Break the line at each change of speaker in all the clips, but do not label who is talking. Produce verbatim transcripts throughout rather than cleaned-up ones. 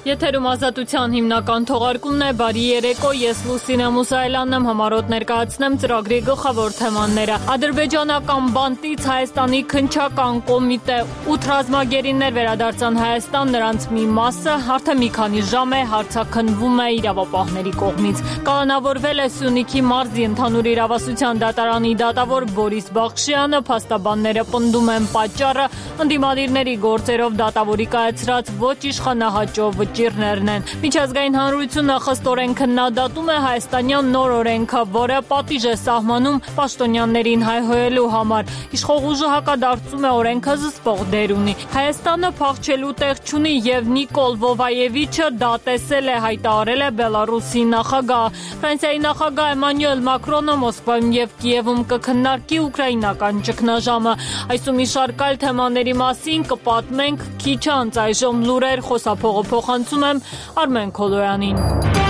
Եթերում ազատության հիմնական թողարկումն է, բարի երեկո, ես Լուսինե Մուսայելյանն եմ, համառոտ ներկայացնեմ ծրագրի գլխավոր թեմաները։ Ադրբեջանական բանտից Հայաստանի քննչական կոմիտե ութ ռազմագերիներ վերադարձան Հայաստան, նրանց մի մասը արդեն մի քանի ժամ է հարցաքննվում է իրավապահների կողմից։ Կանոնավորվել է Սյունիքի մարզի ընդհանուր իրավասության դատարանի դատավոր Բորիս Բախշյանը, փաստաբանները պնդում են պատճառը ընդդիմադիրների գործերով դատավորի կայացրած ոչ իշխանահաճո վճիռներն են։ Միջազգային հանրությունը խստորեն քննադատում է հայաստանյան նոր օրենքը, որը պատիժ է սահմանում պաշտոնյաներին հայհոյելու համար։ Իշխող ուժը հակադարձում է օրենքը զսպող դեր ունի։ Հայաստանը փախչելու տեղ չունի եւ Նիկոլ Վովայևիչը դա տեսել է, հայտարարել է Բելարուսի նախագահ։ Ֆրանսիայի նախագահ Էմանուել Մակրոնը Մոսկվայում եւ Կիևում կքննարկի ուկրաինական ճգնաժամը։ Այսու մի շարք այլ թեմաների մասին կպատմենք քիչ անց, այժմ լուրեր, խոսափողը փոխանցում եմ Արմեն Քոլոյանին։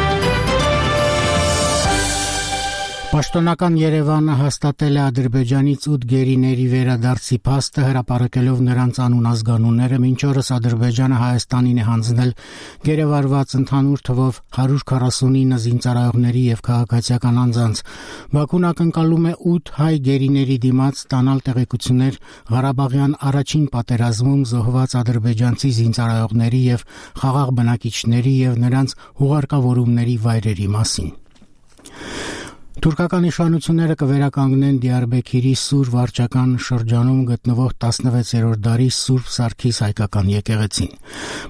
Պաշտոնական Երևանը հաստատել է Ադրբեջանից ութ գերիների վերադարձի փաստը, հրապարակելով նրանց անուն ազգանունները, մինչ օրս Ադրբեջանը Հայաստանին է հանձնել գերեվարված ընդհանուր թվով հարյուր քառասունինը զինծառայողների եւ քաղաքացիական անձանց։ Բաքուն ակնկալում է ութ հայ գերիների դիմաց ստանալ տեղեկություններ Ղարաբաղյան առաջին պատերազմում զոհված ադրբեջանցի զինծառայողների եւ խաղաղ բնակիչների եւ նրանց հուղարկավորումների վայրերի մասին։ Թուրքական իշխանությունները կվերականգնեն Դիարբեքիրի Սուր վարչական շրջանում գտնվող տասնվեցերորդ դարի Սուրբ Սարգիս հայկական եկեղեցին։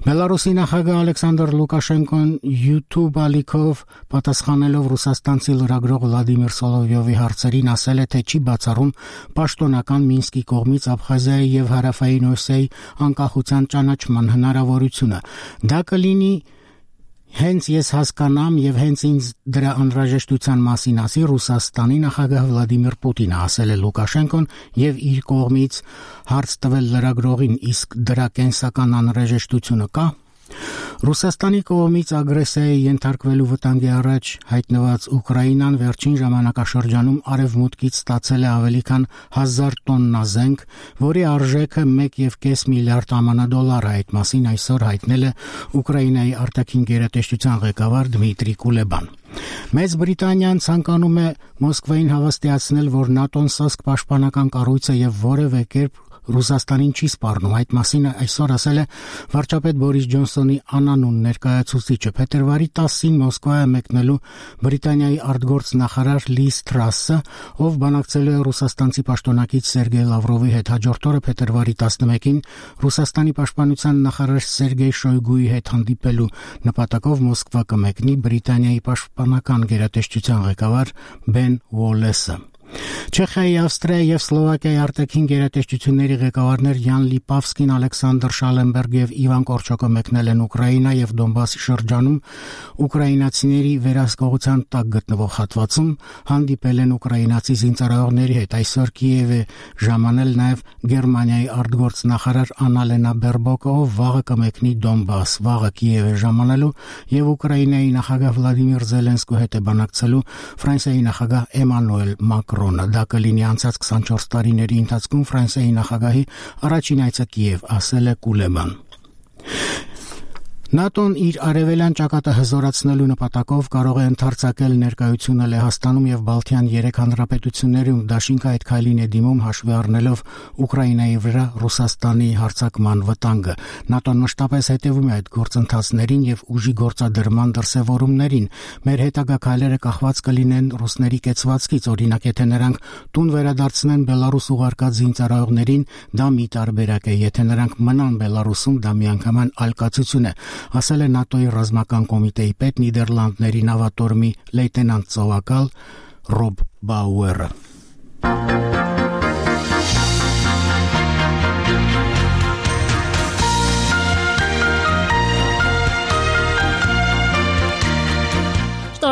Բելարուսի նախագահ Ալեքսանդր Լուկաշենկոն YouTube ալիքով պատասխանելով ռուսաստանցի լրագրող Վլադիմիր Սոլովյովի հարցերին ասել է, թե չի բացառում պաշտոնական Մինսկի կողմից Աբխազիայի եւ Հարավային Օսիայի անկախության ճանաչման հնարավորությունը։ Դա կլինի Հենց ես հասկանամ եւ հենց ինձ դրա անհրաժեշտության մասին ասի Ռուսաստանի նախագահ Վլադիմիր Պուտինը, ասել է Լուկաշենկոն եւ իր կողմից հարց տվել լրագրողին, իսկ դրա կենսական անհրաժեշտությունը կա։ Ռուսաստանի կողմից ագրեսիայի ենթարկվելու վտանգի առաջ հայտնված Ուկրաինան վերջին ժամանակաշրջանում արևմուտքից ստացել է ավելի քան հազար տոննա զենք, որի արժեքը մեկ եւ կես միլիարդ ԱՄՆ դոլար է։ Այդ մասին այսօր հայտնել է Ուկրաինայի արտաքին գերատեսչության ղեկավար Դմիտրի Կուլեբան։ Մեծ Բրիտանիան ցանկանում է Մոսկվային հավաստիացնել, որ ՆԱՏՕ-ն սոսկ պաշտպանական կառույց է եւ որևէ կերպ Ռուսաստանին չի սպառնում։ Այդ մասին այսօր ասել է վարչապետ Բորիս Ջոնսոնի անանուն ներկայացուցիչը։ Փետրվարի տասին Մոսկվա է մեկնելու Բրիտանիայի արտգործ նախարար Լիզ Թրասը, ով բանակցելու է ռուսաստանցի պաշտոնակից Սերգեյ Լավրովի հետ։ Հաջորդ օրը փետրվարի տասնմեկին Ռուսաստանի պաշտպանության նախարար Սերգեյ Շոյգուի հետ հանդիպելու նպատակով Մոսկվա կմեկնի Բրիտանիայի պաշտպանական գերատեսչության ղեկավար Բեն Ուոլեսը։ Չեխիայի, Ավստրիայի եւ Սլովակիայի արտաքին գերատեսչությունների ղեկավարներ Յան Լիպավսկին, Ալեքսանդր Շալենբերգ եւ Իվան Կորչոկը մեկնել են Ուկրաինա եւ Դոնբասի շրջանում ուկրաինացիների վերահսկողության տակ գտնվող հատվածում, հանդիպել են ուկրաինացի զինծառայողների հետ։ Այսօր Կիև է ժամանել նաեւ Գերմանիայի արտգործ նախարար Աննալենա Բերբոկը, ով վաղը կմեկնի Դոնբաս։ Վաղը Կիև է ժամանելու եւ Ուկրաինայի նախագահ Վլադիմիր Զելենսկու հետ է բանակցելու Ֆրանսիայի նախագահ Էմանուել Մակրոնը։ Դա կլինի անցած քսանչորս տարիների ընթացքում Ֆրանսիայի նախագահի առաջին այցը Կիև, ասել է Կուլեբան։ ՆԱՏՕ-ն իր արևելյան ճակատը հզորացնելու նպատակով կարող է ընդարձակել ներկայությունը Լեհաստանում եւ Բալթյան երեք հանրապետություններում։ Դաշինքը այդ քայլին է դիմում հաշվի առնելով Ուկրաինայի վրա Ռուսաստանի հարձակման վտանգը։ ՆԱՏՕ-ն մշտապես հետևում է այդ գործընթացներին եւ ուժի գործադրման դրսեւորումներին։ Մեր հետագա քայլերը կախված կլինեն ռուսների կեցվածքից, օրինակ, եթե նրանք տուն վերադարձնեն Բելարուս ուղարկած զինծառայողներին, դա մի տարբերակ է, եթե նրանք մնան Բելարուսում, դա միանգամայն այլ կացություն է, ասել է ՆԱՏՕ-ի ռազմական կոմիտեի պետ Նիդերլանդների նավատորմի լեյտենանտ ծովակալ Ռոբ Բաուերը։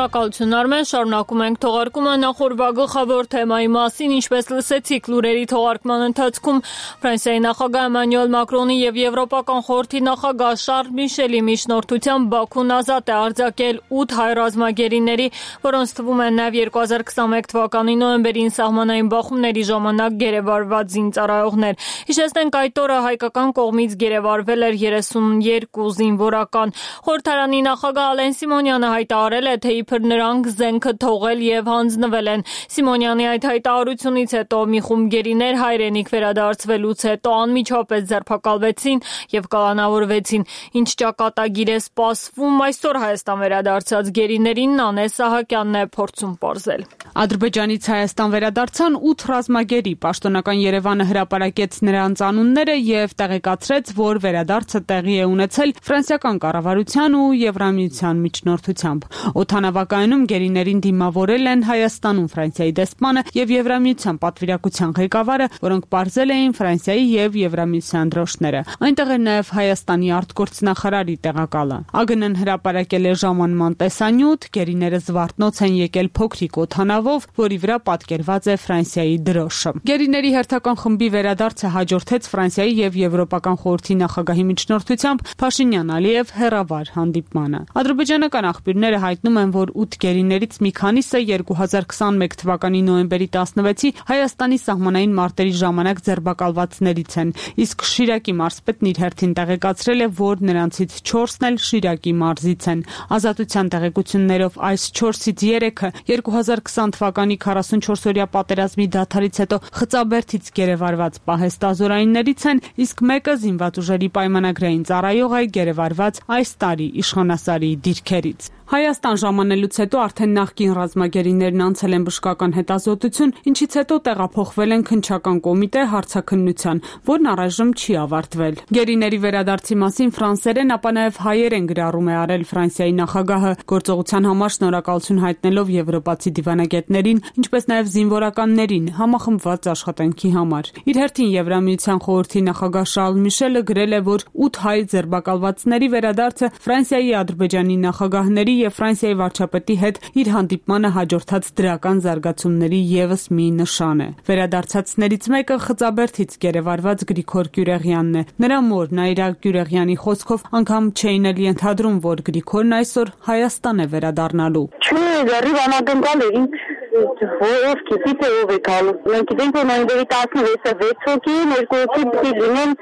Շնորհակալություն Արմեն, շարունակում ենք թողարկումը նախորդ գլխավոր թեմայի մասին, ինչպես լսեցիք լուրերի թողարկման ընթացքում Ֆրանսիայի նախագահ Էմանուել Մակրոնի եւ Եվրոպական խորհրդի նախագահ Շարլ Միշելի միջնորդությամբ Բաքուն ազատ է արձակել ութ հայ ռազմագերիների, որոնց թվում են նաեւ երկու հազար քսաներկու թվականի նոյեմբերին սահմանային բախումների ժամանակ գերեվարված զինծառայողներ։ Հիշեցնենք, այդ օրը հայկական կողմից գերեվարվել էր երեսունյոթ զինվորական։ Խորհրդարանի նախագահ Ալեն Սիմոնյանը հայտարարել է, թե իբր նրանք զենքը թողել եւ հանձնվել են։ Սիմոնյանի այդ հայտարարությունից հետո մի խումբ գերիներ հայրենիք վերադարձվելուց հետո անմիջապես ձերբակալվեցին եւ կալանավորվեցին։ Ինչ ճակատագիր է սպասվում այսօր Հայաստան վերադարձած գերիներին, Նանե Սահակյանն է փորձում պարզել։
Ադրբեջանից Հայաստան վերադարձան ութ ռազմագերի, պաշտոնական Երևանը հրապարակեց նրանց անունները եւ տեղեկացրեց, որ վերադարձը տեղի է ունեցել ֆրանսիական կառավարության ու Եվրամիության միջնորդությամբ։ Օդանավակայանում գերիներին դիմավորել են Հայաստանում Ֆրանսիայի դեսպանը եւ Եվրամիության պատվիրակության ղեկավարը, որոնք պարզել էին Ֆրանսիայի եւ Եվրամիության դրոշները։ Այնտեղ էր նաեւ Հայաստանի արտգործնախարարի տեղակալը։ ԱԳՆ-ն հրապարակել է ժամանման տեսանյութ, գերիները զվարթնոց են եկել փոքրիկ օդանավով, որի վրա պատկերված է Ֆրանսիայի դրոշը։ Գերիների հերթական խմբի վերադարձը հաջորդեց Ֆրանսիայի եւ Եվրոպական խորհրդի նախագահի միջնորդությամբ Փաշինյան-Ալիև հերավար հանդիպմանը։ Ադրբեջանական աղբյուրները հայտնում են, որ ութ գերիներից մի քանիսը երկու հազար քսաներկու թվականի նոյեմբերի տասնվեցի Հայաստանի սահմանային մարտերի ժամանակ ձերբակալվածներից են, իսկ Շիրակի մարզպետն իր հերթին տեղեկացրել է, որ նրանցից չորսն էլ Շիրակի մարզից են։ Ազատության տեղեկություններով այս չորսից երեքը երկու հազար քսան թվականի քառասունչորսօրյա պատերազմի դադարից հետո Խծաբերդից գերեվարված պահեստազորայիններից են, իսկ մեկը զինված ուժերի պայմանագրային ծառայող է գերեվարված այս տարի իշխանասարի դիրքերից։ Հայաստան ժամանելուց հետո արդեն նախկին ռազմագերիներն անցել են բժշկական հետազոտություն, ինչից հետո տեղափոխվել են քննչական կոմիտե հարցաքննության, որն առայժմ չի ավարտվել։ Գերիների վերադարձի մասին ֆրանսերեն, ապա նաև հայերեն գրառում է արել Ֆրանսիայի նախագահը, գործողության համար շնորհակալություն հայտնելով եվրոպացի դիվանագետներին, ինչպես նաև զինվորականներին համախմբված աշխատանքի համար։ Իր հերթին Եվրամիության խորհրդի նախագահ Շարլ Միշելը գրել է, որ ութ հայ ձերբակալվածների վերադարձը Ֆրանսիայի, Ադրբեջանի նախագահների եւ Ֆրանսիայի վարչապետի հետ իր հանդիպմանը հաջորդած դրական զարգացումների եւս մի նշան է։ Վերադարձածներից մեկը Խծաբերդից գերեվարված Գրիգոր Գյուրեղյանն է։ Նրա մորն Այրակ Գյուրեղյանի խոսքով անգամ չէին էլ ենթադրում, որ Գրիգորն այսօր Հայաստան է վերադառնալու։
Չէ, դեռ անհանգալ է ինձ ով գիտի թե ով է գալու։ Մենք գիտենք, որ նոյեմբերի տասնվեցը վեց հոգի, երկու հոգի պիտի լինեն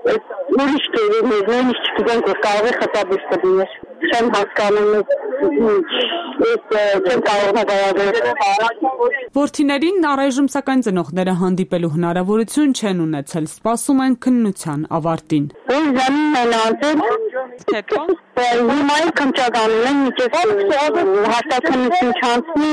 ուրիշ գերիներ, նույնիսկ չգիտենք, որ կարող է Խծաբերդը լինել։ Չեմ հասկանում, չեմ կարող նկարագրել։
Որդիներին առայժմ սակայն ծնողները հանդիպելու հնարավորություն չեն ունեցել, սպասում են քննության ավարտին։
Որ զանին են անցել,
հետո
հիմա էլ քննչականում են, միջև հաստատքնություն չանցնի,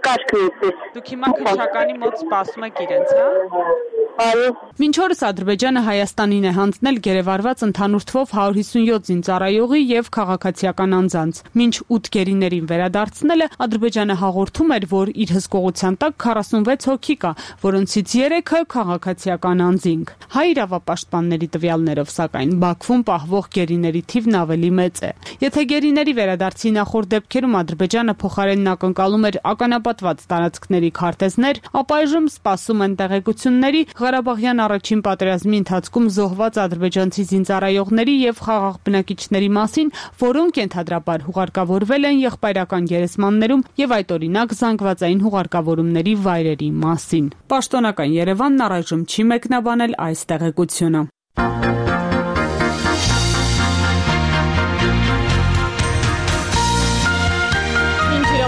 կաշկն էպես։
Դուք հիմա քննչականի մոտ սպասում եք իրենց, հա։
Այո։
Մինչ օրս Ադրբեջանը Հայաստանին է հանձնել գերեվարված ընդհանուր թվով հարյուր հիսունյոթ զինծառայողի եւ քաղաքացիական անձանց։ Մինչ ութ գերիներին վերադարձնելը Ադրբեջանը հաղորդում էր, որ իր հսկողության տակ քառասունվեց հոգի կա, որոնցից երեքը քաղաքացիական անձինք։ Հայ իրավապաշտպանների տվյալներով, սակայն Բաքվում պահվող գերիների թիվն ավելի մեծ է։ Եթե գերիների վերադարձի նախորդ դեպքերում Ադրբեջանը փոխարենն ակնկալում էր ականապատված տարածքների քարտեզներ, ապա այժմ սպասում են տեղեկությունների Ղարաբաղյան առաջին պատերազմի ընթացքում զոհված ադրբեջանցի զինծառայողների եւ խաղաղ բնակիչների մասին, որոնք ենթադրաբար հուղարկավորվել են եղբայրական գերեզմաններում եւ այդ օրինակ զանգվածային հուղարկավորումների վայրերի մասին։ Պաշտոնական Երևանն առայժմ չի մեկնաբանել այս տեղեկությունը։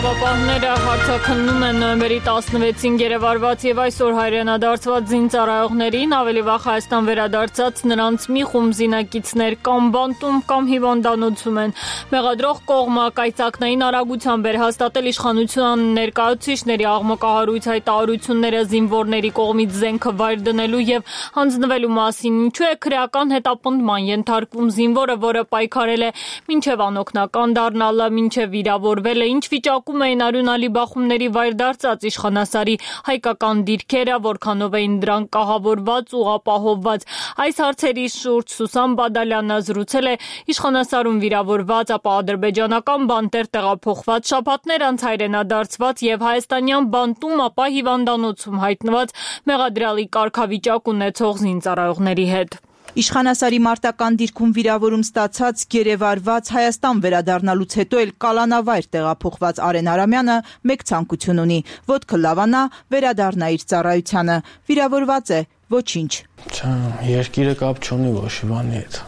Իրավապահները հարցաքննում են նոյեմբերի տասնվեցին գերեվարված եւ այսօր հայրենադարձված զինծառայողներին, ավելի վաղ Հայաստան վերադարձած նրանց մի խումբ զինակիցներ կամ բանտում կամ հիվանդանոցում են։ Մեղադրող կողմը կայծակնային արագությամբ էր հաստատել իշխանության ներկայացուցիչների աղմկահարույց հայտարարությունները զինվորների կողմից զենքը վայր դնելու եւ հանձնվելու մասին, ինչու է քրեական հետապնդման ենթարկվում զինվորը, որը պայքարել է մինչեւ անօգնական դառնալը, մինչեւ վիրավորվել է, ինչ վիճակում էին արյունալի բախումների վայր դարձած իշխանասարի հայկական դիրքերը, որքանով էին դրանք կահավորված ու ապահովված։ Այս հարցերի շուրջ Սուսան Բադալյանը զրուցել է իշխանասարում վիրավորված, ապա ադրբեջանական բանտեր տեղափոխված, շաբաթներ անց հայրենադարձված եւ հայաստանյան բանտում, ապա հիվանդանոցում հայտնված մեղադրյալի կարգավիճակ ունեցող զինծառայողների հետ։
Իշխանասարի մարտական դիրքում վիրավորում ստացած գերեվարված Հայաստան վերադառնալուց հետո էլ կալանավայր տեղափոխված Արեն Արամյանը մեկ ցանկություն ունի՝ ոտքը լավանա, վերադառնա իր ծառայությանը։ Վիրավորված է, ոչինչ։
Երկիրը կապ չունի Վոշիվանի հետ։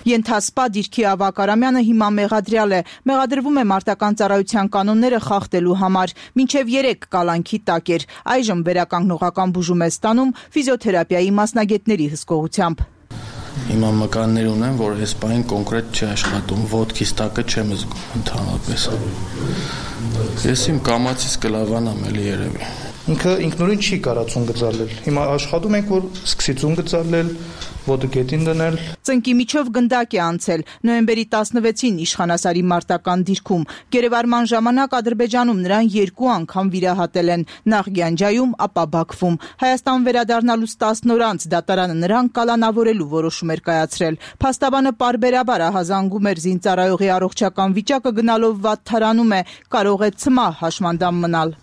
Ենթասպա դիրքի ավակ Արամյանը հիմա մեղադրյալ է, մեղադրվում է մարտական ծառայության կանոնները խախտելու համար, մինչև երեք կալանքի տակ էր, այժմ վերականգնողական բուժում է ստանում ֆիզիոթերապիայի մասնագետների հսկողությամբ։
Հիմա մկաններ ունեմ, որ այս պահին կոնկրետ չի աշխատում, ոտքիս տակը չեմ զգում ընդհանրապես։ Ես իմ կամացից կլավանամ էլի երևի։
Ինքը ինքնուրույն չի կարող ծուն գծալել։ Հիմա աշխատում ենք, որ սկսի ծուն գծալել, ոտը գետին դնել։
Ծնկի միջով գնդակ է անցել նոյեմբերի տասնվեցին իշխանասարի մարտական դիրքում։ Գերեվարման ժամանակ Ադրբեջանում նրան երկու անգամ վիրահատել են, նախ Գյանջայում, ապա Բաքվում։ Հայաստան վերադառնալուց տասն օր անց դատարանը նրան կալանավորելու որոշում էր կայացրել։ Փաստաբանը պարբերաբար ահազանգում էր զինծառայողի առողջական վիճակը գնալով վատթարանում է, կարող է ցմահ հաշմանդամ մնալ։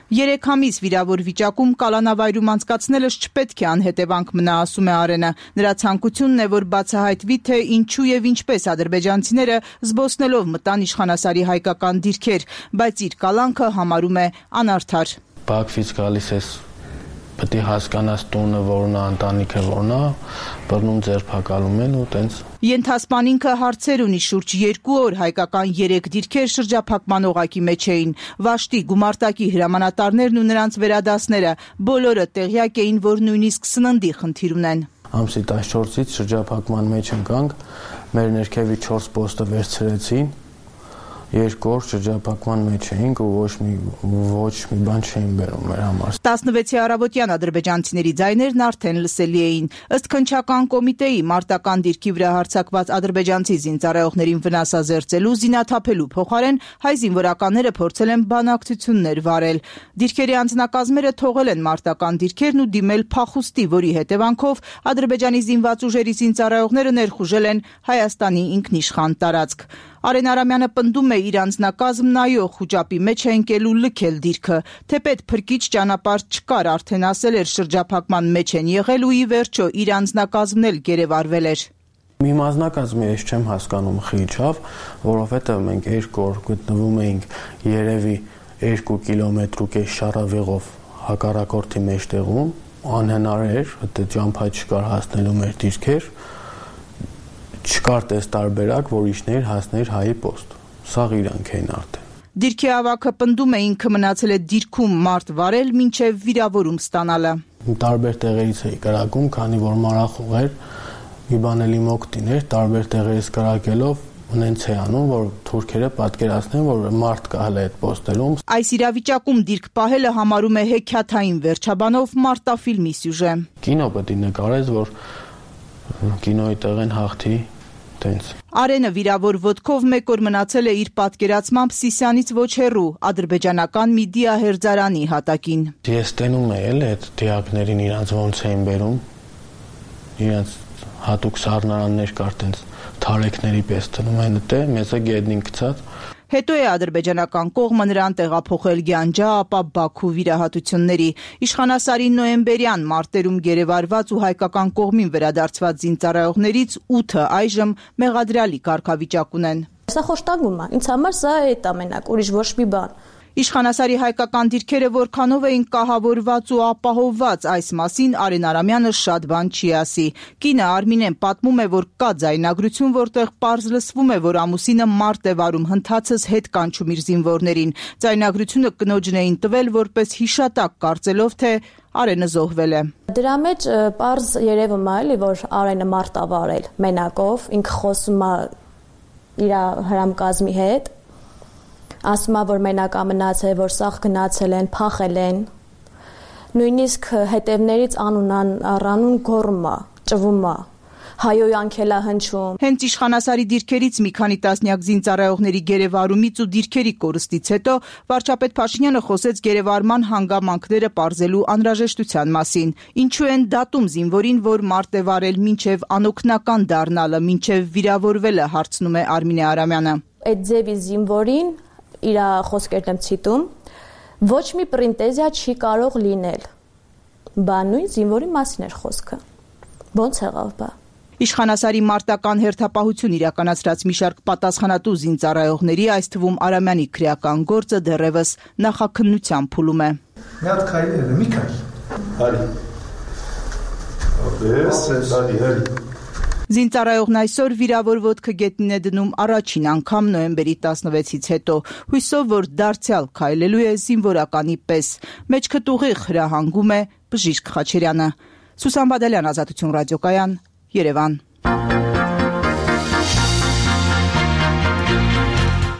Երեք ամիս վիրավոր վիճակում կալանավայրում անցկացնելը չպետք է անհետևանք մնա, ասում է Արենը։ Նրա ցանկությունն է, որ բացահայտվի, թե ինչու եւ ինչպես ադրբեջանցիները զբոսնելով մտան իշխանասարի հայկական դիրքեր, բայց իր կալանքը համարում է անարդար։
Բաքվից գալիս ես, պետք է հասկանաս տունը որն է, ընտանիքը որն է, բռնում ձերբակալում են ու տենց։
Ենթասպան ինքը հարցեր ունի շուրջ երկու օր հայկական երեք դիրքեր շրջափակման օղակի մեջ էին։ Վաշտի գումարտակի հրամանատարներն ու նրանց վերադասները բոլորը տեղյակ էին, որ նույնիսկ սննդի խնդիր ունեն։
Ամսի տասնչորսից շրջափակման մեջ ընկանք, մեր ներքևի չորս պոստը վերցրեցին, երկու օր շրջափակման մեջ էինք ու ոչ մի ոչ մի բան չէին բերում մեր համար։
տասնվեցի առավոտյան ադրբեջանցիների ձայներն արդեն լսելի էին։ Ըստ քննչական կոմիտեի մարտական դիրքի վրա հարձակված ադրբեջանցի զինծառայողներին վնասազերծելու, զինաթափելու փոխարեն հայ զինվորականները փորձել են բանակցություններ վարել։ Դիրքերի անձնակազմերը թողել են մարտական դիրքերն ու դիմել փախուստի, որի հետևանքով ադրբեջանի զինված ուժերի զինծառայողները ներխուժել են Հայաստանի ինքնիշխան տարածք։ Արեն Արամյանը պնդում է իր անձնակազմն նայող խուճապի մեջ է ընկել ու լքել դիրքը, թեպետ փրկիչ ճանապարհ չկար, արդեն ասել էր շրջափակման մեջ են եղել ու ի վերջո իր անձնակազմն էլ գերեվարվել էր։
Մի մասնակազմի ես չեմ հասկանում խիչավ, որովհետև մենք երկու օր գտնվում էինք երևի երկու կիլոմետր ու կես շարավեղով հակառակորդի մեջտեղում, անհնար էր, դա ճամփա չկար հասնելու մեր դիրքեր։ Չկար տես տարբերակ, որ իջներ հասներ հայի պոստ։ Սաղ իրանք էին արդեն։
Դիրքի ավակը պնդում է ինքը մնացել է դիրքում մարդ վարել մինչև վիրավորում ստանալը։
Տարբեր տեղերից էի կրակում, քանի որ մարախուղ էր, մի բան էլի մոկտին էր, տարբեր տեղերից կրակելով ունենց է անում, որ թուրքերը պատկերացնեն, որ մարդ կա հələ այդ պոստերում։
Այս իրավիճակում դիրք պահելը համարում է հեքիաթային վերջաբանով մարտաֆիլմի սյուժե։
Կինո պետք է նկարես, որ կինոյի տեղեն հաղթի։
Արենը վիրավոր ոտքով մեկ օր մնացել է իր պատկերացմամբ Սիսյանից ոչ հեռու ադրբեջանական մի դիահերձարանի հատակին։
Ես տենում եմ էլ այդ դիակներին իրանց ոնց էին բերում, իրանց հատուկ սառնարաններ կար տենց թարեքների պես տնում են դե մեծը գետնին գցած։
Հետո է ադրբեջանական կողմը նրան տեղափոխել Գյանջա, ապա Բաքու վիրահատությունների։ Իշխանասարի նոյեմբերյան մարտերում գերեվարված ու հայկական կողմին վերադարձված զինծառայողներից ութը այժմ մեղադրյալի կարգավիճակ ունեն։
Սա խոշտանգում է, ինձ համար սա է այդ ամենակ, ուրիշ ոչ մի բան։
Իշխանասարի հայկական դիրքերը որքանով էին կահավորված ու ապահովված, այս մասին Արեն Արամյանը շատ բան չի ասի։ Կինը Արմինեն պատմում է, որ կա ձայնագրություն, որտեղ պարզ լսվում է, որ ամուսինը մարդ է վարում, հնդածս հետ կանչում իր զինվորներին։ Ձայնագրությունը կնոջն էին տվել որպես հիշատակ, կարծելով, թե Արենը զոհվել է։
Դրա մեջ պարզ երևում է, էլի, որ Արենը մարդ է վարել մենակով, ինքը խոսում է իր հրամկազմի հետ։ Ասում է, որ մենակ ամնացել, որ սաղ գնացել են, փախել են, նույնիսկ հետևներից անուն առանուն գոռում է, ճվում է, հայոյանք էլ է հնչում։
Հենց իշխանասարի դիրքերից մի քանի տասնյակ զինծառայողների գերեվարումից ու դիրքերի կորստից հետո վարչապետ Փաշինյանը խոսեց գերեվարման հանգամանքները պարզելու անհրաժեշտության մասին։ Ինչու են դատում զինվորին, որ մարդ է վարել մինչև անօգնական դառնալը, մինչև վիրավորվելը, հարցնում է Արմինե Արամյանը։
Այդ ձևի զինվորին իր խոսքերն եմ ցիտում, ոչ մի պրինտեզիա չի կարող լինել։ Բա նույն զինվորի մասին էր խոսքը։ Ոնց եղավ բա։
Իշխանասարի մարտական հերթապահություն իրականացրած մի շարք պատասխանատու զինծառայողների, այս թվում Արամյանի քրեական գործը դեռևս նախաքննության փուլում է։
Մի հատ քայլեր, մի քայլ։ Հարի։ Ապես, հարի, հարի։
Զինծառայողն այսօր վիրավոր ոտքը գետնին է դնում առաջին անգամ նոյեմբերի տասնվեցից հետո, հույսով, որ դարձյալ քայլելու է զինվորականի պես։ Մեջքը տուղիղ հրահանգում է Բժիշկ Խաչերյանը։ Սուսան Բադալյան, Ազատություն ռադիոկայան, Երևան։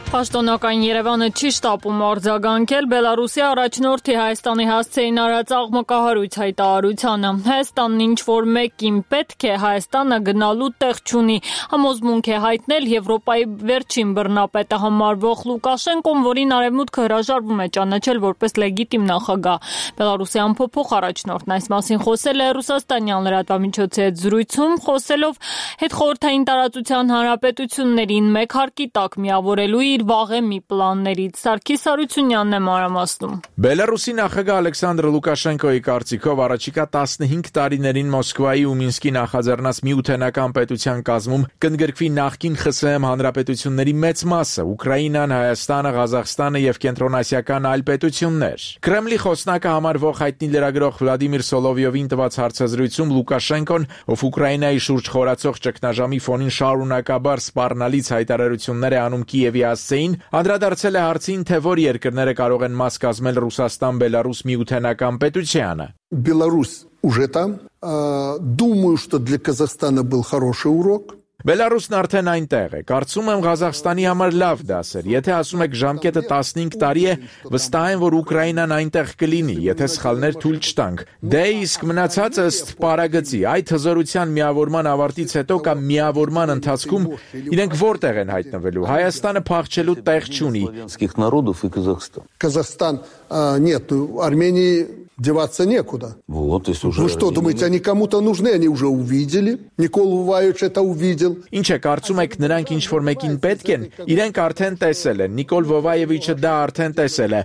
Պաշտոնական Երևանը չի շտապում արձագանքել Բելարուսի առաջնորդի Հայաստանի հասցեին արած աղմկահարույց հայտարարությանը։ Հայաստանն ինչ-որ մեկին պետք է, Հայաստանը գնալու տեղ չունի, համոզմունք է հայտնել Եվրոպայի վերջին բռնապետը համարվող Լուկաշենկոն, որին Արևմուտքը հրաժարվում է ճանաչել որպես լեգիտիմ նախագահ։ Բելարուսի անփոփոխ առաջնորդն այս մասին խոսել է Ռուսաստանյան լրատվամիջոցի հետ զրույցում, խոսելով հետխորհրդային տարածության հանրապետություններին մեկ հարկի տակ միավորելու իր վաղեմի պլաններից։ Սարգիս Հարությունյանն է մանրամասնում։
Բելարուսի նախագահ Ալեքսանդր Լուկաշենկոյի կարծիքով առաջիկա տասնհինգ տարիներին Մոսկվայի ու Մինսկի նախաձեռնած միութենական պետության կազմում կընդգրկվի նախկին ԽՍՀՄ հանրապետությունների մեծ մասը՝ Ուկրաինան, Հայաստանը, Ղազախստանը եւ կենտրոնասիական այլ պետություններ։ Կրեմլի խոսնակը համարվող հայտնի լրագրող Վլադիմիր Սոլովյովին տված հարցազրույցում Լուկաշենկոն, ով Ուկրաինայի շուրջ խորացող ճգնաժամի ֆոնին շարունակաբար սպառնալից հայտարարություններ է անում Կիևի հասցեին, անդրադարձել է հարցին, թե որ երկրները կարող են մաս կազմել Ռուսաստան-Բելարուս միութենական պետությանը։
Беларусь уже там. Думаю, что для Казахстана был хороший урок.
Բելարուսն արդեն այնտեղ է։ Կարծում եմ Ղազախստանի համար լավ դաս էր։ Եթե ասում եք ժամկետը տասնհինգ տարի է, վստահ եմ, որ Ուկրաինան այնտեղ կլինի, եթե սխալներ թույլ չտանք։ Դե իսկ մնացածը ըստ պարագծի, այդ հզորության միավորման ավարտից հետո կամ միավորման ընթացքում իրենք որտեղ են հայտնվելու։ Հայաստանը փախչելու տեղ չունի։
Казахстан, нет, Армении деваться некуда.
Вот, если уже...
Вы что, думаете, они кому-то нужны? Они уже увидели. Никола Вуваевич это увидел.
Ինչ է, կարծում եք նրանք ինչ-որ մեկին պետք են, իրենք արդեն տեսել են, Նիկոլ Վովայևիչը դա արդեն տեսել է։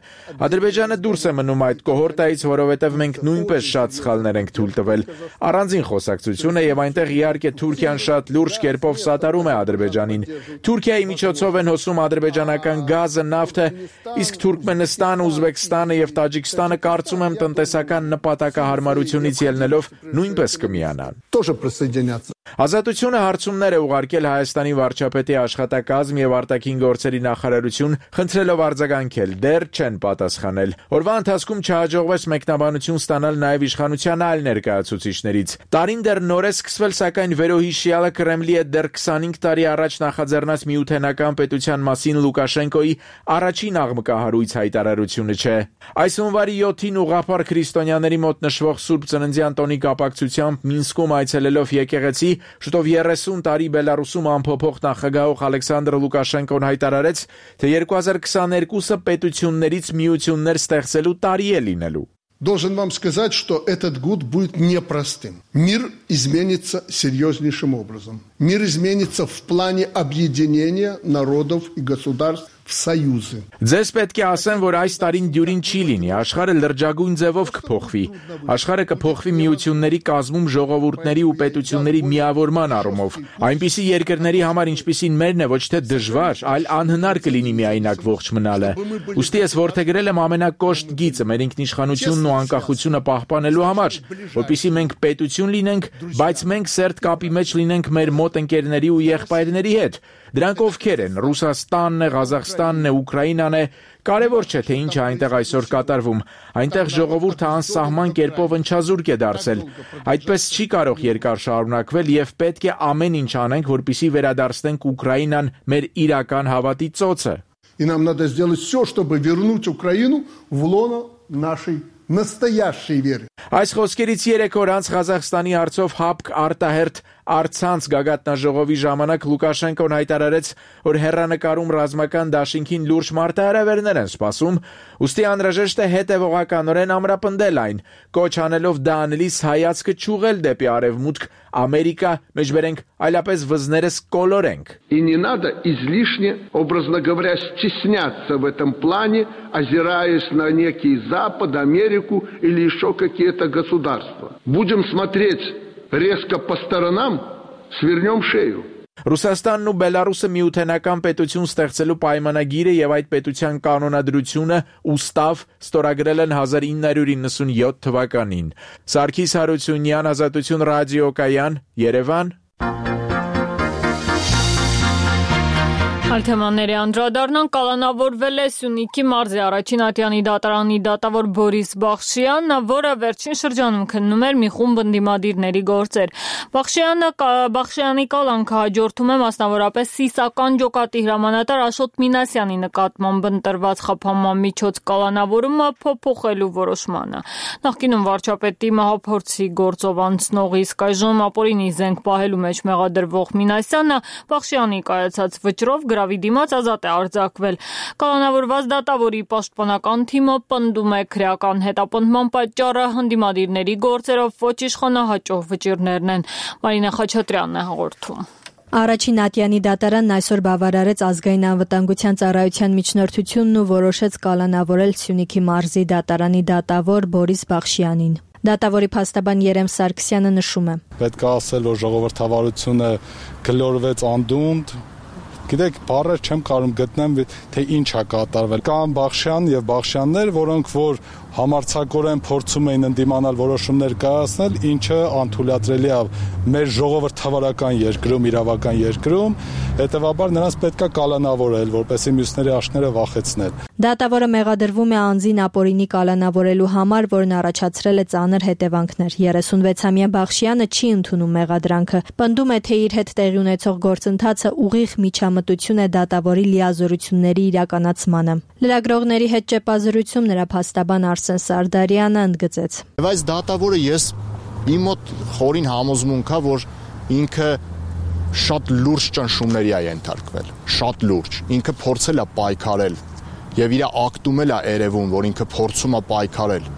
Ադրբեջանը դուրս է մնում այդ կոհորտայից, որովհետև մենք նույնպես շատ սխալներ ենք թույլ տվել։ Առանձին խոսակցություն է եւ այնտեղ իհարկե Թուրքիան շատ լուրջ կերպով սատարում է Ադրբեջանին։ Թուրքիայի միջոցով են հոսում ադրբեջանական գազը, նավթը, իսկ Թուրքմենստանը, Ուզբեկստանը եւ Տաջիկստանը կարծում եմ տնտեսական նպատակահարմարությունից ելնելով նույնպես կմիանան։
Тоже присоединятся.
Ազատությունը հարցումներ է ուղարկել Հայաստանի վարչապետի աշխատակազմ եւ արտաքին գործերի նախարարություն, խնդրելով արձագանքել, դեռ չեն պատասխանել։ Օրվա ընթացքում չհաջողվեց մեկնաբանություն ստանալ նաեւ իշխանության այլ ներկայացուցիչներից։ Տարին դեռ նոր է սկսվել, սակայն վերոհիշյալը Կրեմլի է դեռ քսանհինգ տարի առաջ նախաձեռնած միութենական պետության մասին Լուկաշենկոյի առաջին աղմկահարույց հայտարարությունը չէ։ Այս հունվարի յոթին ուղղափառ քրիստոնյաների մոտ նշվող Սուրբ Ծննդյան տոնի կապակցությամբ Մինսկում այցելելով եկեղեցի, շուտով երեսուն տարի Բելարուսում անփոփոխ նախագահող Ալեքսանդր Լուկաշենկոն հայտարարեց, թե երկու հազար քսաներկուսը պետություններից միություններ ստեղծելու տարի է լինելու։
Должен вам сказать, что этот год будет непростым. Мир изменится серьезнейшим образом. Мир изменится в плане объединения народов и государств в союзы.
Ձեզ պետք է ասեմ, որ այս տարին դյուրին չի լինի, աշխարհը լրջագույն ձևով կփոխվի։ Աշխարհը կփոխվի միությունների կազմում ժողովուրդների ու պետությունների միավորման առումով։ Այնպիսի երկրների համար, ինչպիսին մերն է, ոչ թե դժվար, այլ անհնար կլինի միայնակ ողջ մնալը։ Ուստի ես որդեգրել եմ ամենակոշտ գիծը մեր ինքնիշխանությունն ու անկախությունը պահպանելու համար, որպեսզի մենք պետություն լինենք, բայց մենք սերտ կապի մեջ լինենք մեր մոտ ընկերների ու եղբայրների հետ։ Դրանք ովքեր են՝ Ռուսաստանն է, Ղազախստանն է, Ուկրաինան է, կարևոր չէ, թե ինչ է այնտեղ այսօր կատարվում։ Այնտեղ ժողովուրդը անսահման կերպով ընչազուրկ է դարձել։ Այդպես չի կարող երկար շարունակվել եւ պետք է ամեն ինչ անենք, որպեսզի վերադարձնենք Ուկրաինան մեր իրական հավատի ծոցը։
И нам надо сделать все, чтобы вернуть Украину в лоно нашей настоящей веры.
Այս խոսքերից երեք օր անց Ղազախստանի արծով հապկ արտահերթ Առցանց գագաթնաժողովի ժամանակ Լուկաշենկոն հայտարարեց, որ հեռանկարում ռազմական դաշինքին լուրջ մարտահրավերներ են սպասում, ուստի անհրաժեշտ է հետևողականորեն ամրապնդել այն, կոչ անելով դա անելիս հայացքը չուղղել դեպի արևմուտք, Ամերիկա, մեջբերենք, այլապես վզներս կոլորենք։
И не надо излишне, образно говоря, стесняться в этом плане, озираясь на некий Запад, Америку или еще какие-то государства. Будем смотреть резко по сторонам, свернем шею.
Ռուսաստանն ու Բելարուսը միութենական պետություն ստեղծելու պայմանագիրը եւ այդ պետության կանոնադրությունը ուստավ ստորագրել են հազար ինը հարյուր իննսունյոթ թվականին։ Սարգիս Հարությունյան, Ազատություն ռադիոկայան, Երևան։
Այլ թեմաների անդրադառնան կալանավորվել է Սյունիքի մարզի առաջին ատյանի դատարանի դատավոր Բորիս Բախշյանը, որը վերջին շրջանում քննում էր մի խումբ ընդդիմադիրների գործեր։ Բախշյանը Բախշյանի կալանքը հաջորդում է մասնավորապես սիսական ջոկատի հրամանատար Աշոտ Մինասյանի նկատմամբ ընտրված խափանման միջոց կալանավորումը փոփոխելու որոշմանը։ Նախկինում վարչապետի մահափորձի գործով անցնող իսկ այժմ ապօրինի զենք պահելու մեջ մեղադրվող Մինասյանը Բախշյանի կայացած վճռով գրավի դիմաց ազատ է արձակվել։ Կալանավորված դատավորի պաշտպանական թիմը պնդում է քրեական հետապնդման պատճառը ընդդիմադիրների գործերով ոչ իշխանահաճող վճիռներն են։ Մարինա Խաչատրյանն է հաղորդում։
Առաջին ատյանի դատարանն այսօր բավարարեց ազգային անվտանգության ծառայության միջնորդությունն ու որոշեց կալանավորել Սյունիքի մարզի դատարանի դատավոր Բորիս Բախշյանին։ Դատավորի փաստաբան Երեմ Սարգսյանը նշում է.
Պետք է ասել, որ ժողովրդավարությունը գլորվեց անդունդ, գիտեք, բառեր չեմ կարող գտնեմ, թե ինչ է կատարվել։ Կան Բախշյան եւ Բախշյաններ, որոնք որ համարձակորեն փորձում էին ընդդիմանալ որոշումներ կայացնել, ինչը անթույլատրելի է մեր ժողովրդավարական երկրում, իրավական երկրում, հետեւաբար նրանց պետք է կալանավորել, որպեսզի մյուսների աշները վախեցնել։
Դատավորը մեղադրվում է անձին ապօրինի կալանավորելու համար, որն առաջացրել է ծանր հետևանքներ։ երեսունվեցամյա Բախշյանը չի ընդունում մեղադրանքը, պնդում է, թե իր հետ տեղի ունեցող գործընթացը ուղիղ միջամտություն է դատավորի լիազորությունների իրականացմանը։ Լրագրողների հետ ճեպազրույցում նրա փաստաբան Արսեն Սարդարյանը ընդգծեց.
Բայց դատավորը ես իմ մոտ խորին համոզմունք է, որ ինքը շատ լուրջ ճնշումների է ենթարկվել, շատ լուրջ։ Ինքը փորձել է պայքարել եւ իր ակտում էլ է երևում, որ ինքը փորձում է պայքարել,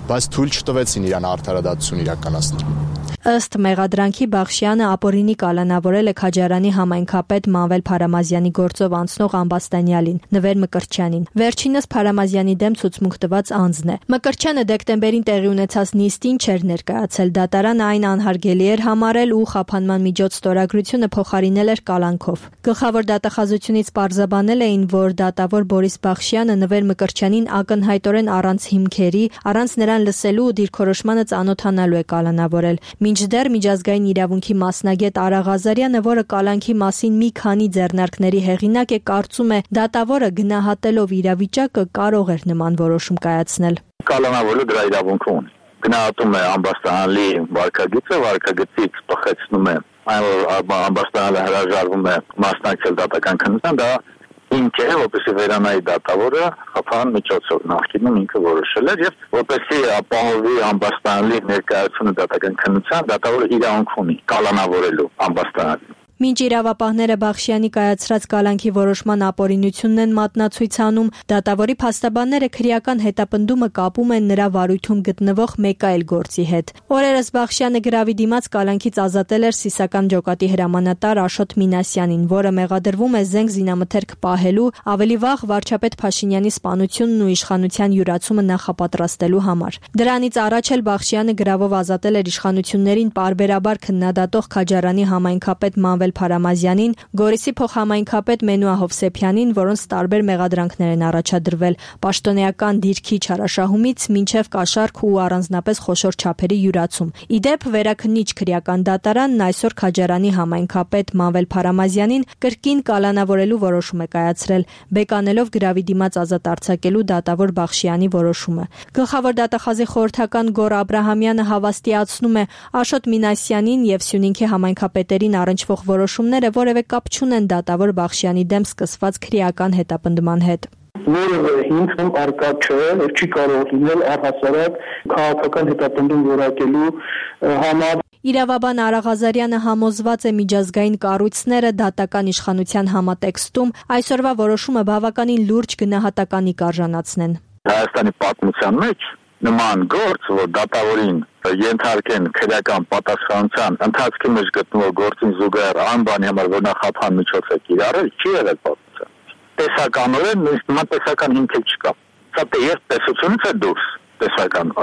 բայց թույլ չտվեցին իրան արդարադատություն իրականացնել։
Ըստ մեղադրանքի Բախշյանը ապօրինի կալանավորել է Քաջարանի համայնքապետ Մանվել Փարամազյանի գործով անցնող Ամբաստանյալին, Նվեր Մկրտչյանին։ Վերջինս Փարամազյանի դեմ ցուցմունք տված անձն է։ Մկրտչյանը դեկտեմբերին տեղի ունեցած նիստին չէր ներկայացել, դատարանը այն անհարգելի էր համարել ու խափանման միջոց ստորագրությունը փոխարինել էր կալանքով։ Գլխավոր դատախազությունից պարզաբանել էին, որ դատավոր Բորիս Բախշյանը Նվեր Մկրտչյանին ակնհայտորեն առանց հիմքերի, առանց նրան լսելու ու դիրքորոշմանը ծանոթանալու է կալանավորել։ Մինչդեռ միջազգային իրավունքի մասնագետ Արա Ղազարյանը, որը կալանքի մասին մի քանի ձեռնարկների հեղինակ է, կարծում է, դատավորը գնահատելով իրավիճակը կարող էր նման որոշում կայացնել։
Կալանավորելու դրա իրավունքը ունի։ Գնահատում է Ամբաստանյալի վարքագիծը, վարքագծից փոխեցնում է այն, որ Ամբաստանյալը հրաժարվում է մասնակցել դատական քննության, դա ինքը որպեսի վերանայի դատավորը խափան միջոցով նախկինում ինքը որոշել էր եւ որպեսի ապահովի Ամբաստանյալի ներկայությունը դատական քննության, դատավորը իրավունք ունի կալանավորելու Ամբաստանյալին։
Մինչ իրավապահները Բախշյանի կայացրած կալանքի որոշման ապօրինությունն են մատնացույց անում, դատավորի փաստաբանները քրեական հետապնդումը կապում են նրա վարույթում գտնվող մեկ այլ գործի հետ։ Օրերս Բախշյանը գրավի դիմաց կալանքից ազատել էր սիսական ջոկատի հրամանատար Աշոտ Մինասյանին, որը մեղադրվում է զենք զինամթերք պահելու, ավելի վաղ վարչապետ Փաշինյանի սպանությունն ու իշխանության յուրացումը նախապատրաստելու համար։ Դրանից առաջ էլ Բախշյանը գրավով ազատել էր իշխանություններին պարբերաբար քննադատող Քաջարանի համայնքապետ Մանվել Փարամազյանին, Գորիսի փոխհամայնքապետ Մենուա Հովսեփյանին, որոնց տարբեր մեղադրանքներ են առաջադրվել՝ պաշտոնեական դիրքի չարաշահումից մինչև կաշառք ու առանձնապես խոշոր չափերի յուրացում։ Իդեպ վերաքննիչ քրեական դատարանն այսօր Քաջարանի համայնքապետ Մանվել Փարամազյանին կրկին կալանավորելու որոշում է կայացրել, բեկանելով գրավի դիմաց ազատ արձակելու դատավոր Բախշյանի որոշումը։ Գլխավոր դատախազի խորհրդական Գոռ Աբրահամյանը հավաստիացնում է Աշոտ Մինասյանին եւ Սյունիքի համայնքապետերին առնչվող որոշումները որևէ կապ չունեն դատավոր Բախշյանի դեմ սկսված քրեական հետապնդման հետ։
Որևէ հիմքում արկա չէ, որ չի կարող լինել առհասարակ քաղաքական հետապնդում որակելու համար։
Իրավաբան Արա Ղազարյանը համոզված է միջազգային կառույցները դատական իշխանության համատեքստում այսօրվա որոշումը բավականին լուրջ գնահատականի կարժանացնեն։
Հայաստանի պատմության մեջ նման գործ, որ դատավորին ենթարկեն քրեական պատասխանության ընթացքի մեջ գտնվող գործին զուգահեռ անբանի համար որ նախապան միջոց է կիրառել, չի եղել պատմության։ Տեսականորեն նույնիսկ նման տեսական հիմք չկա։ Սա եւ տեսությունից է դուրս, տեսական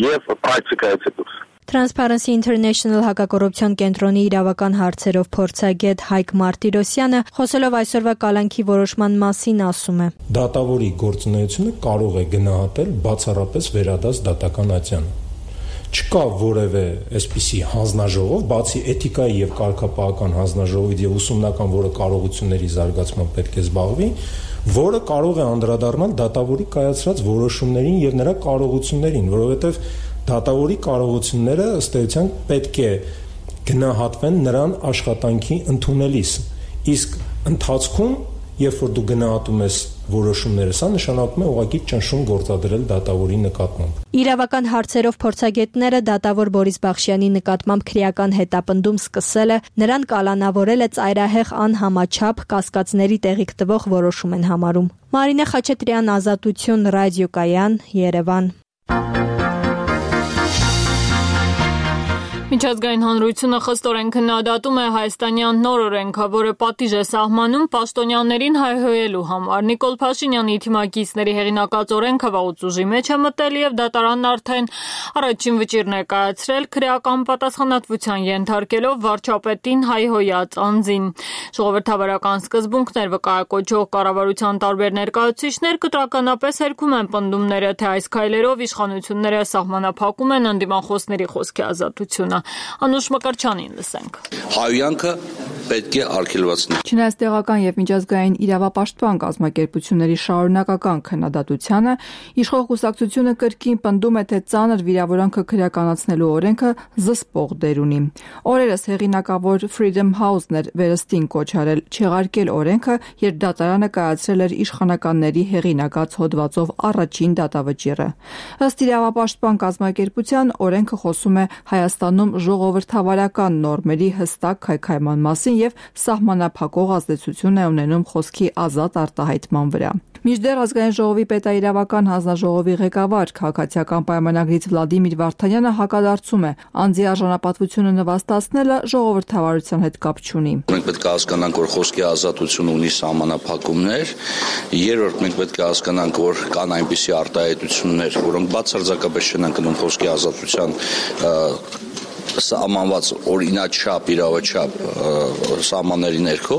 եւ պրակտիկայից է դուրս։
Transparency International հակակոռուպցիոն կենտրոնի իրավական հարցերով փորձագետ Հայկ Մարտիրոսյանը խոսելով այսօրվա կալանքի որոշման մասին ասում է.
Դատավորի գործունեությունը կարող է գնահատել բացառապես վերադաս դատական ատյանը։ Չկա որևէ այսպիսի հանձնաժողով, բացի էթիկայի եւ կարգապահական հանձնաժողովից եւ ուսումնական, որը կարողությունների զարգացման պետք է զբաղվի, որը կարող է անդրադառնալ դատավորի կայացրած որոշումներին եւ նրա կարողություններին, որովհետեւ դատավորի կարողությունները ըստ էության պետք է գնահատվեն նրան աշխատանքի ընդունելիս, իսկ ընթացքում, երբ որ դու գնահատում ես որոշումները, սա նշանակում է ուղղակի ճնշում գործադրել դատավորի նկատմամբ։
Իրավական հարցերով փորձագետները դատավոր Բորիս Բախշյանի նկատմամբ քրեական հետապնդում սկսելը նրան կալանավորել է ծայրահեղ անհամաչափ կասկածների տեղիք տվող որոշում են համարում։ Մարինե Խաչատրյան, Ազատություն, Ռադիոկայան, Երևան։
Միջազգային հանրությունը խստորեն քննադատում է հայաստանյան նոր օրենքը, որը պատիժ է սահմանում պաշտոնյաներին հայհոյելու համար։ Նիկոլ Փաշինյանի թիմակիցների հեղինակած օրենքը վաղուց ուժի մեջ է մտել եւ դատարանն արդեն առաջին վճիռն է կայացրել քրեական պատասխանատվության ենթարկելով վարչապետին հայհոյած անձին։ Ժողովրդավարական սկզբունքներ վկայակոչող կառավարության տարբեր ներկայացուցիչներ կտրականապես հերքում են պնդումները, թե այս քայլերով իշխանությունները սահմանափակում են ընդդիմախոսների խոսքի ազատությունը։ Անուշ Մկրչյանին լսենք։
Հայհոյանքը պետք է արգելվեցնել։
Չնայած տեղական եւ միջազգային իրավապաշտպան կազմակերպությունների շարունակական քննադատությանը, իշխող կուսակցությունը կրկին պնդում է, թե ծանր վիրավորանքը քրեականացնելու օրենքը զսպող դեր ունի։ Օրերս հեղինակավոր Freedom House-ն էր վերստին կոչ արել չեղարկել օրենքը, երբ դատարանը կայացրել էր իշխանականների հեղինակած հոդվածով առաջին դատավճիռը։ Ըստ իրավապաշտպան կազմակերպության, օրենքը խոսում է Հայաստանում ժողովրդավարական նորմերի հստակ քայքայման մասին եւ սահմանափակող ազդեցություն է ունենում խոսքի ազատ արտահայտման վրա։ Մինչդեռ ազգային ժողովի պետաիրավական հանձնաժողովի ղեկավար քաղաքացիական պայմանագրից Վլադիմիր Վարդանյանը հակադարձում է, անձի արժանապատվությունը նվաստացնելը ժողովրդավարության հետ կապ չունի։
Մենք պետք է հասկանանք, որ խոսքի ազատությունը ունի սահմանափակումներ, երրորդ մենք պետք է հասկանանք, որ կան այնպիսի արտահայտություններ, որոնք բացարձակապես չեն ընկնում խոսքի ազատության սահմանված օրինաչափ, իրավաչափ սահմանների ներքո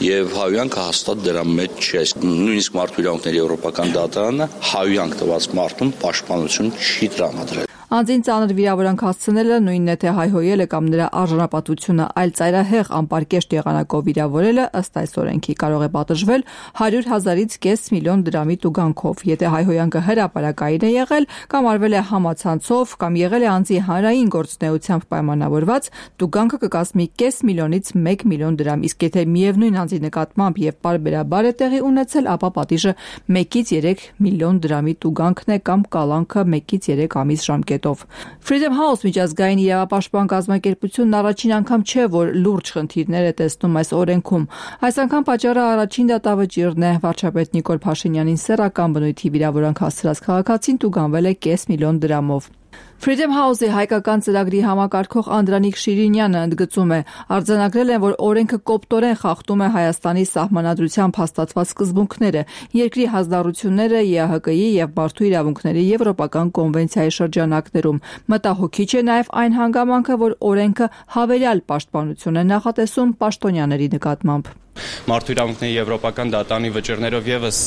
եւ հայհոյանքը հաստատ դրա մեջ չէ։ Նույնիսկ մարդու իրավունքների եվրոպական դատարանը հայհոյանք տված մարդուն պաշտպանություն չի տրամադրել։
Անձին ծանր վիրավորանք հասցնելը նույնն է թե հայհոյելը կամ նրա արժանապատվությունը այլ ծայրահեղ անպարկեշտ եղանակով վիրավորելը ըստ այս օրենքի կարող է պատժվել հարյուր հազարից կես միլիոն դրամի տուգանքով, եթե հայհոյանքը հրապարակային է եղել կամ արվել է համացանցով կամ եղել է անձի հանրային գործունեությամբ պայմանավորված, տուգանքը կկազմի կես միլիոնից մեկ միլիոն դրամ, իսկ եթե միևնույն անձի նկատմամբ եւ պարբերաբար է տեղի ունեցել, ապա պատիժը մեկից երեք միլիոն դրամի տուգանքն է կամ կալանքը մեկից երեք ամիս ժամկետ։ Freedom House միջազգային իրավապաշտպան կազմակերպությունն առաջին անգամ չէ, որ լուրջ խնդիրներ է տեսնում այս օրենքում։ Այս անգամ պատճառը առաջին դատավճիռն է։ Վարչապետ Նիկոլ Փաշինյանին սեռական բնույթի վիրավորանք հասցրած քաղաքացին տուգանվել է կես միլիոն դրամով։ Freedom House-ի հայկական ծրագրի համակարգող Անդրանիկ Շիրինյանը ընդգծում է, արձանագրել են, որ օրենքը կոպտորեն խախտում է Հայաստանի սահմանադրությամբ հաստատված սկզբունքները, երկրի հանձնառությունները ԵԱՀԿ-ի եւ Մարդու իրավունքների Եվրոպական կոնվենցիայի շրջանակներում։ Մտահոգիչ է նաեւ այն հանգամանքը, որ օրենքը հավերյալ պաշտպանություն է նախատեսում պաշտոնյաների նկատմամբ։
Մարդու իրավունքների եվրոպական դատարանի վճիռներով եւս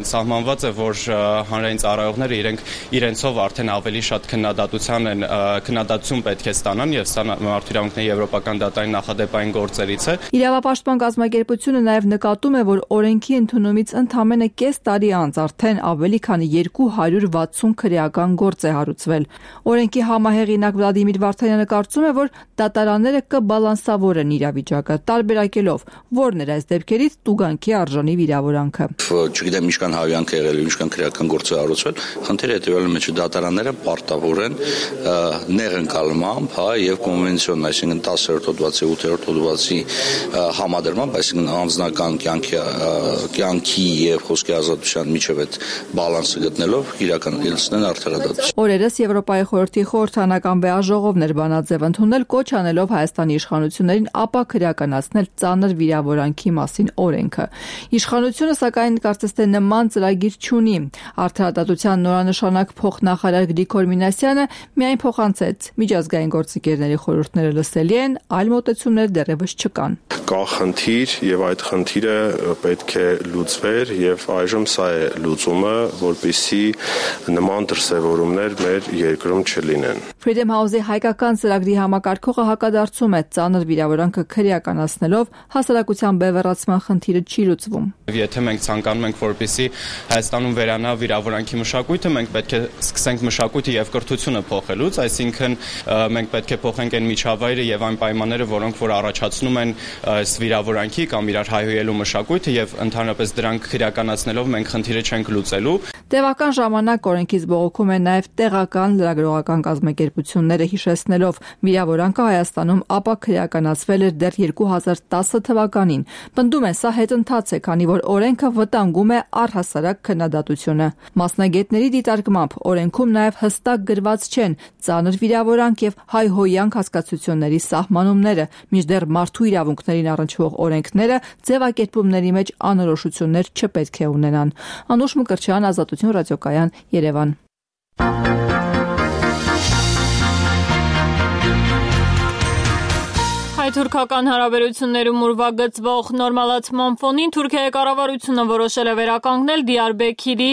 սահմանված է, որ հանրային ծառայողները իրենք իրենցով արդեն ավելի շատ քննադատության են քննադատություն պետք է ստանան եւ սա մարդու իրավունքների եվրոպական դատարանի նախադեպային գործերից է։
Իրավապաշտպան կազմակերպությունը նաեւ նկատում է, որ օրենքի ընդունումից ընդամենը կես տարի անց արդեն ավելի քան երկու հարյուր վաթսուն քրեական գործ է հարուցվել։ Օրենքի համահեղինակ Վլադիմիր Վարդանյանը կարծում է, որ դատարանները կբալանսավորեն իրավիճակը, տարբերակելով որն էր այս այս դեպքերից տուգանքի արժանի վիրավորանքը։
Չգիտեմ ինչքան հավյանք եղել, ինչքան քրեական գործ է արարվել, խնդիրը հետևյալը մեջ դատարանները պարտավոր են նեղ ընկալմամբ, հա, եւ կոնվենցիոն, այսինքն տասերորդ հոդվածի, ութերորդ հոդվածի համադրմամբ, այսինքն անձնական կյանքի կյանքի եւ խոսքի ազատության միջև այդ բալանսը գտնելով իրականացնեն արդարադատություն։
Օրերս Եվրոպայի խորհրդի խորհրդանական վեաժողովն էր բանաձև ընդունել, կոչ անելով Հայաստանի իշխանություններին ապա քրեականացնել ծանր վիրավորանքի մասին օրենքը։ Իշխանությունը սակայն կարծես թե նման ծրագիր չունի։ Արդարադատության նորանշանակ փոխնախարար Գրիգոր Մինասյանը միայն փոխանցեց միջազգային գործընկերների խորհուրդները լսելի են, այլ մոտեցումներ դեռևս չկան։
Կա խնդիր եւ այդ խնդիրը պետք է լուծվեր եւ այժմ սա է լուծումը, որպեսզի նման դրսևորումներ մեր երկրում չլինեն։
Freedom House-ի հայկական ծրագրի համակարգողը հակադարձում է ծանր վիրավորանքը քրեականացնելով հասարակության բևեռացման խնդիրը չի լուծվում։
Եթե մենք ցանկանում ենք, որպեսզի Հայաստանում վերանա վիրավորանքի մշակույթը, մենք պետք է սկսենք մշակույթը եւ կրթությունը փոխելուց, այսինքն մենք պետք է փոխենք այն միջավայրը եւ այն պայմանները, որոնք որ առաջացնում են այս վիրավորանքի կամ իրար հայհոյելու մշակույթը եւ ընդհանրապես դրանք քրեականացնելով մենք խնդիրը չենք լուծելու։
Տևական ժամանակ օրենքից բողոքում են նաև տեղական լրագրողական կազմակերպությունները, հիշեցնելով վիրավորանքը Հայաստանում ապա քրեականացվել էր դեռ երկու հազար տասը թվականին։ Պնդում են, սա հետընթաց է, քանի որ օրենքը վտանգում է առհասարակ քննադատությունը։ Մասնագետների դիտարկմամբ օրենքում նաև հստակ գրված չեն ծանր վիրավորանք եւ հայհոյանք հասկացությունների սահմանումները, մինչդեռ մարդու իրավունքներին առնչվող օրենքները ձևակերպումների մեջ անորոշություններ չպետք է ունենան։ Անուշ Մկրտչյան, Ազատություն ռադիոկայան, Երևան։
Հայ-թուրքական հարաբերություններում ուրվագծվող նորմալացման ֆոնին Թուրքիայի կառավարությունը որոշել է վերականգնել Դիարբեքիրի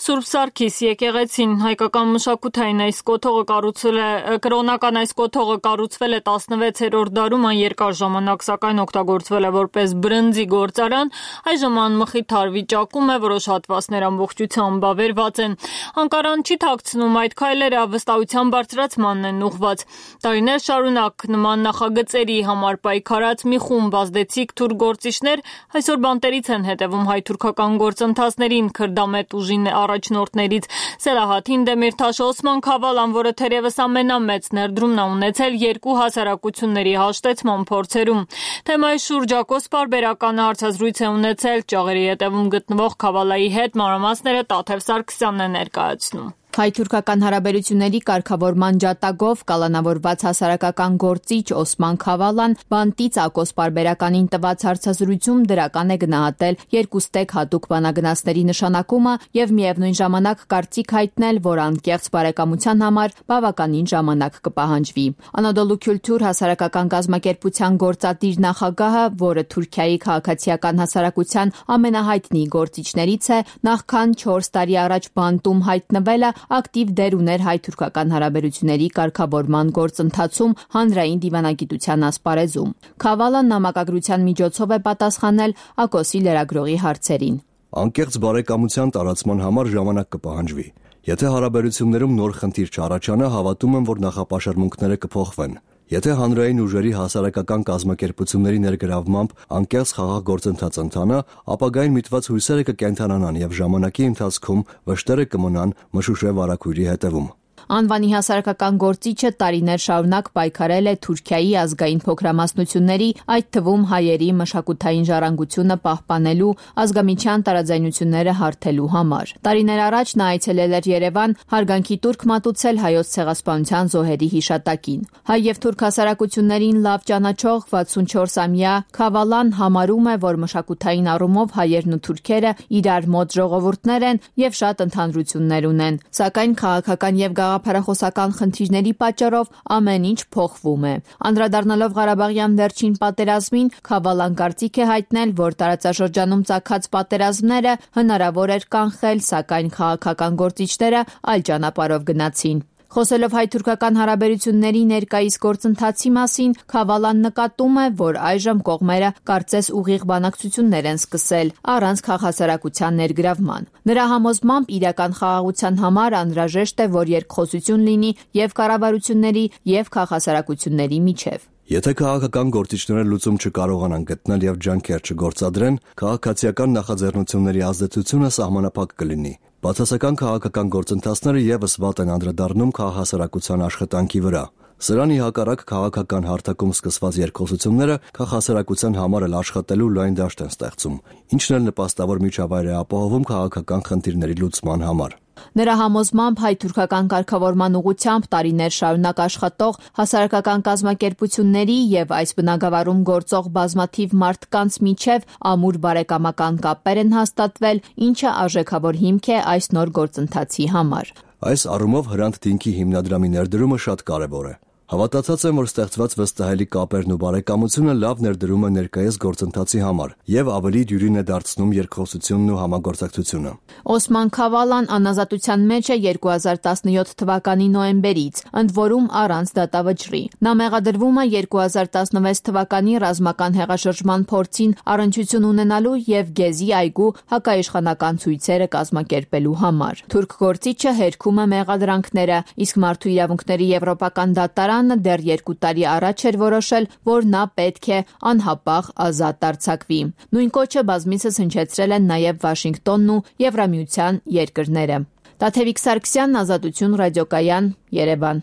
Սուրբ Սարգիս եկեղեցին։ Հայկական մշակութային այս կոթողը կառուցվել է կրոնական այս կոթողը կառուցվել է տասնվեցերորդ դարում, այն երկար ժամանակ սակայն օգտագործվել է որպես բրնձի գործարան, այժմ անմխիթար վիճակում է, որոշ հատվածներ ամբողջությամբ ավերված են։ Անկարան չի թաքցնում այդ քայլերը վստահության բարձրացմանն են ուղղված։ Տարիներ շարունակ նման նախագծերի համար պայքարած մի խումբ ազդեցիկ թուրք գործիչներ այսօր բանտերից են հետևում հայ-թուրքական գործընթացներին քրդամետ ուժի առաջնորդներից Սելահաթին Դեմիրթաշ Օսման Քավալան, որը թերևս ամենամեծ ներդրումն է ունեցել երկու հասարակությունների հաշտեցման փորձերում։ Թեմայի շուրջ Ակոս պարբերական հարցազրույց է ունեցել ճաղերի հետևում գտնվող Քավալայի հետ, մանրամասները Տաթև Սարգսյանն է ներկայացնում։
Հայ-թուրքական հարաբերությունների կարգավորման ջատագով կալանավորված հասարակական գործիչ Օսման Քավալան բանտից Ակոս պարբերականին տված հարցազրույցում դրական է գնահատել երկուստեք հատուկ բանագնացների նշանակումը եւ միևնույն ժամանակ կարծիք հայտնել, որ անկեղծ բարեկամության համար բավականին ժամանակ կպահանջվի։ Անադոլու Քյուլտուր հասարակական կազմակերպության գործադիր նախագահը, որը Թուրքիայի քաղաքացիական հասարակության ամենահայտնի գործիչներից է, նախքան չորս տարի առաջ բանտում հայտնվելը ակտիվ դեր ուներ հայ-թուրքական հարաբերությունների կարգավորման գործընթացում հանրային դիվանագիտության ասպարեզում։ Քավալան նամակագրության միջոցով է պատասխանել Ակոսի լրագրողի հարցերին։
Անկեղծ բարեկամության տարածման համար ժամանակ կպահանջվի։ Եթե հարաբերություններում նոր խնդիր չառաջանա, հավատում եմ, որ նախապաշարմունքները կփոխվեն։ Եթե հանրային ուժերի հասարակական կազմակերպությունների ներգրավմամբ անկեղծ խաղաղ գործընթաց ընթանա, ապագային միտված հույսերը կկենդանանան եւ ժամանակի ընթացքում վշտերը կմնան մշուշե վարակույրի հետևում։
Անվանի հասարակական գործիչը տարիներ շարունակ պայքարել է Թուրքիայի ազգային փոքրամասնությունների, այդ թվում հայերի մշակութային ժառանգությունը պահպանելու, ազգամիջյան տարաձայնությունները հարթելու համար։ Տարիներ առաջ նա այցելել էր Երևան, հարգանքի տուրք մատուցել հայոց ցեղասպանության զոհերի հիշատակին։ Հայ եւ թուրք հասարակություններին լավ ճանաչող վաթսունչորսամյա Քավալան համարում է, որ մշակութային առումով հայերն ու թուրքերը իրար մոտ ժողովուրդներ են եւ շատ ընդհանրություններ ունեն, սակայն քաղաքական եւ գաղափարախոսական խնդիրների պատճառով ամեն ինչ փոխվում է։ Անդրադառնալով Ղարաբաղյան վերջին պատերազմին, Քավալան կարծիք է հայտնել, որ տարածաշրջանում ծագած պատերազմները հնարավոր էր կանխել, սակայն քաղաքական գործիչները այլ ճանապարհով գնացին։ Խոսելով հայ-թուրքական հարաբերությունների ներկայիս գործընթացի մասին, Քավալան նկատում է, որ այժմ կողմերը կարծես ուղիղ բանակցություններ են սկսել, առանց քաղաքասարակության ներգրավման։ Նրա համոզմամբ իրական խաղաղության համար անհրաժեշտ է, որ երկխոսություն լինի եւ կառավարությունների եւ քաղաքասարակությունների միջև։
Եթե քաղաքական գործիչները լուծում չկարողանան գտնել եւ ջանքեր չգործադրեն, քաղաքացիական նախաձեռնությունների ազդեցությունը սահմանափակ կլինի։ Բացասական քաղաքական գործընթացները եւս վատ են անդրադառնում քաղաքասարակության աշխատանքի վրա։ Սրան ի հակառակ քաղաքական հարթակում սկսված երկխոսությունները քաղաքասարակության համար էլ աշխատելու լայն դաշտ են ստեղծում, ինչն էլ նպաստավոր միջավայր է ապահովում քաղաքական խնդիրների լուծման համար։
Նրա համոզմամբ հայ-թուրքական կարգավորման ուղղությամբ տարիներ շարունակ աշխատող հասարակական կազմակերպությունների եւ այս բնագավառում գործող բազմաթիվ մարդկանց միջև ամուր բարեկամական կապեր են հաստատվել, ինչը արժեքավոր հիմք է այս նոր գործընթացի համար։
Այս առումով Հրանտ Դինքի հիմնադրամի ներդրումը շատ կարևոր է։ Հավատացած եմ, որ ստեղծված վստահելի կապերն ու բարեկամությունը լավ ներդրում է ներկայիս գործընթացի համար եւ ավելի դյուրին է դարձնում երկխոսությունն ու համագործակցությունը։
Օսման Քավալան անազատության մեջ է երկու հազար տասնյոթ թվականի նոյեմբերից, ընդ որում առանց դատավճռի։ Նա մեղադրվում է երկու հազար տասնվեց թվականի ռազմական հեղաշրջման փորձին առնչություն ունենալու եւ Գեզի այգու հակաիշխանական ցույցերը կազմակերպելու համար։ Թուրք գործիչը հերքում է մեղադրանքները, իսկ Մարդու իրավունքների եվրոպական դատարան դեռ երկու տարի առաջ էր որոշել, որ նա պետք է անհապաղ ազատ արձակվի։ Նույն կոչը բազմիցս հնչեցրել են նաև Վաշինգտոնն ու Եվրամիության երկրները։ Տաթևիկ Սարգսյան, Ազատություն ռադիոկայան, Երևան։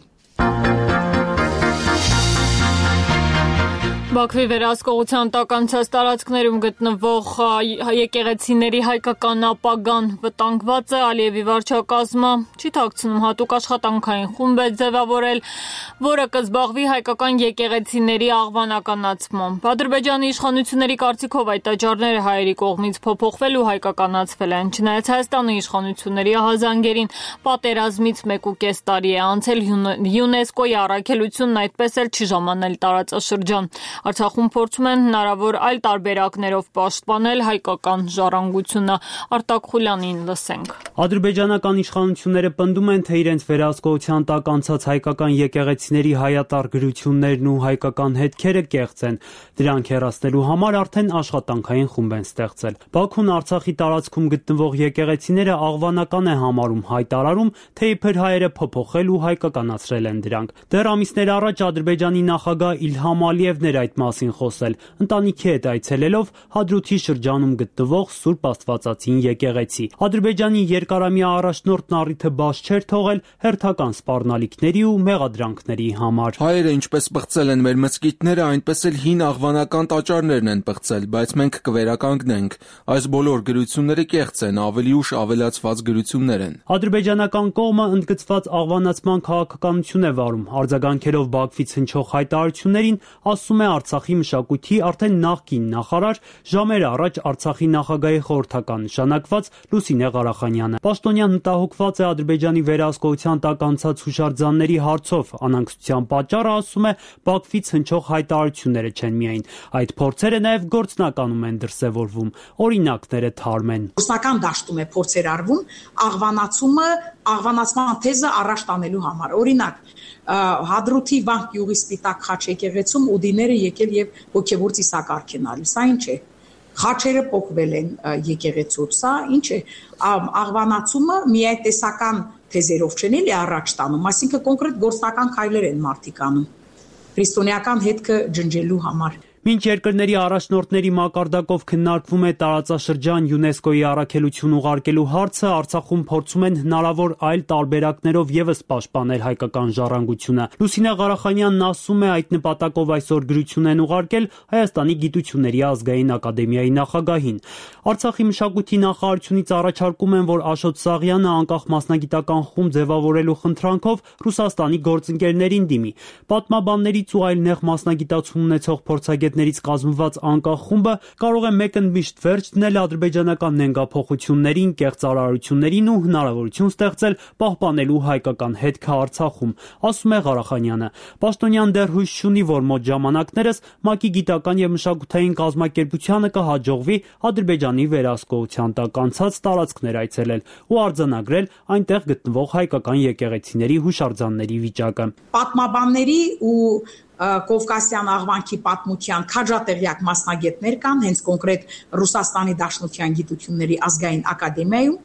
Բաքվի վերահսկողության տակ անցած տարածքներում գտնվող եկեղեցիների հայկական ապագան վտանգված է, Ալիևի վարչակազմը չի թաքցնում հատուկ աշխատանքային խումբ է ձևավորել, որը կզբաղվի հայկական եկեղեցիների աղվանականացմամբ։ Ադրբեջանի իշխանությունների կարծիքով այդ տաճարները հայերի կողմից փոփոխվել ու հայկականացվել են, չնայած Հայաստանի իշխանությունների ահազանգերին պատերազմից մեկ ու կես տարի է անցել, ՅՈՒՆԵՍԿՕ-ի առաքելությունն այդպես էլ չի ժամանել տարածաշրջան։ Արցախում փորձում են հնարավոր այլ տարբերակներով պաշտպանել հայկական ժառանգությունը։ Արտակ Խուլյանին լսենք։
Ադրբեջանական իշխանությունները պնդում են, թե իրենց վերահսկողության տակ անցած հայկական եկեղեցիների հայատար գրություններն ու հայկական հետքերը կեղծ են։ Դրանք հեռացնելու համար արդեն աշխատանքային խումբ են ստեղծել։ Բաքուն Արցախի տարածքում գտնվող եկեղեցիները աղվանական է համարում, հայտարարում, թե իբր հայերը փոփոխել ու հայկականացրել են դրանք։ Դեռ ամիսներ առաջ Ադրբեջանի նախագահ Իլհամ Ալիևն էր այդ մասին խոսել, ընտանիքի հետ այցելելով Հադրութի շրջանում գտնվող Սուրբ Աստվածածին եկեղեցի։ Ադրբեջանի երկարամյա առաջնորդն առիթը բաց չէր թողել հերթական սպառնալիքների ու մեղադրանքների համար։
Հայերը ինչպես պղծել են մեր մզկիթները, այնպես էլ հին աղվանական տաճարներն են պղծել, բայց մենք կվերականգնենք։ Այս բոլոր գրությունները կեղծ են, ավելի ուշ ավելացված գրություններ են։
Ադրբեջանական կողմը ընդգծված աղվանացման քաղաքականություն է վարում, արձագանքելով Բաքվից հնչող հայտարարություններին, ասում է Արցախի մշակույթի արդեն նախկին նախարար, ժամեր առաջ Արցախի նախագահի խորհրդական նշանակված Լուսինե Ղարախանյանը։ Պաշտոնյան մտահոգված է Ադրբեջանի վերահսկողության տակ անցած հուշարձանների հարցով, անհանգստության պատճառը, ասում է, Բաքվից հնչող հայտարարությունները չեն միայն, այդ փորձերը նաև գործնականում են դրսևորվում, օրինակները թարմ են։
Գործնական դաշտում է փորձեր արվում աղվանացումը, աղվանացման թեզը առաջ տանելու համար։ Օրինակ, Հադրութի Վանք գյուղի Սպիտակ խաչ եկեղեցում ուդիները եկել եւ հոգեվոր ծիսակարգ են արել։ Սա ինչ է։ Խաչերը փոխվել են եկեղեցուց, սա ինչ է։ Աղվանացումը միայտեսական թեզերով չեն էլի առաջ տանում, այսինքն կոնկրետ գործնական քայլեր են մարդիկ անում քրիստոնեական հետքը ջնջելու համար։
Մինչ երկրների առաջնորդների մակարդակով քննարկվում է տարածաշրջան ՅՈՒՆԵՍԿՕ-ի առաքելություն ուղարկելու հարցը, Արցախում փորձում են հնարավոր այլ տարբերակներով եւս պաշտպանել հայկական ժառանգությունը։ Լուսինե Ղարախանյանն ասում է, այդ նպատակով այսօր գրություն են ուղարկել Հայաստանի Գիտությունների ազգային ակադեմիայի նախագահին։ Արցախի մշակույթի նախարարությունից առաջարկում են, որ Աշոտ Սաղյանը անկախ մասնագիտական խումբ ձևավորելու խնդրանքով Ռուսաստանի գործընկերներին դիմի։ Պատմաբաններից ու այլ նեղ մասնագիտացում ունեցող փորձագետներից կազմված անկախ խումբը կարող է մեկընդմիշտ վերջ դնել ադրբեջանական նենգափոխություններին, կեղծարարություններին ու հնարավորություն ստեղծել պահպանելու հայկական հետքը Արցախում, ասում է Ղարախանյանը։ Պաշտոնյան դեռ հույս չունի, որ մոտ ժամանակներս ՄԱԿ-ի գիտական եւ մշակութային կազմակերպությանը կհաջողվի Ադրբեջանի վերահսկողության տակ անցած տարածքներ այցելել ու արձանագրել այնտեղ գտնվող հայկական եկեղեցիների հուշարձանների վիճակը։
Պատմաբանների ու Կովկասյան աղվանքի պատմության քաջատեղյակ մասնագետներ կան, հենց կոնկրետ Ռուսաստանի Դաշնության գիտությունների ազգային ակադեմիայում,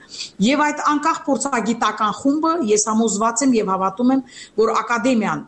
եւ այդ անկախ փորձագիտական խումբը ես համոզված եմ եւ հավատում եմ, որ ակադեմիան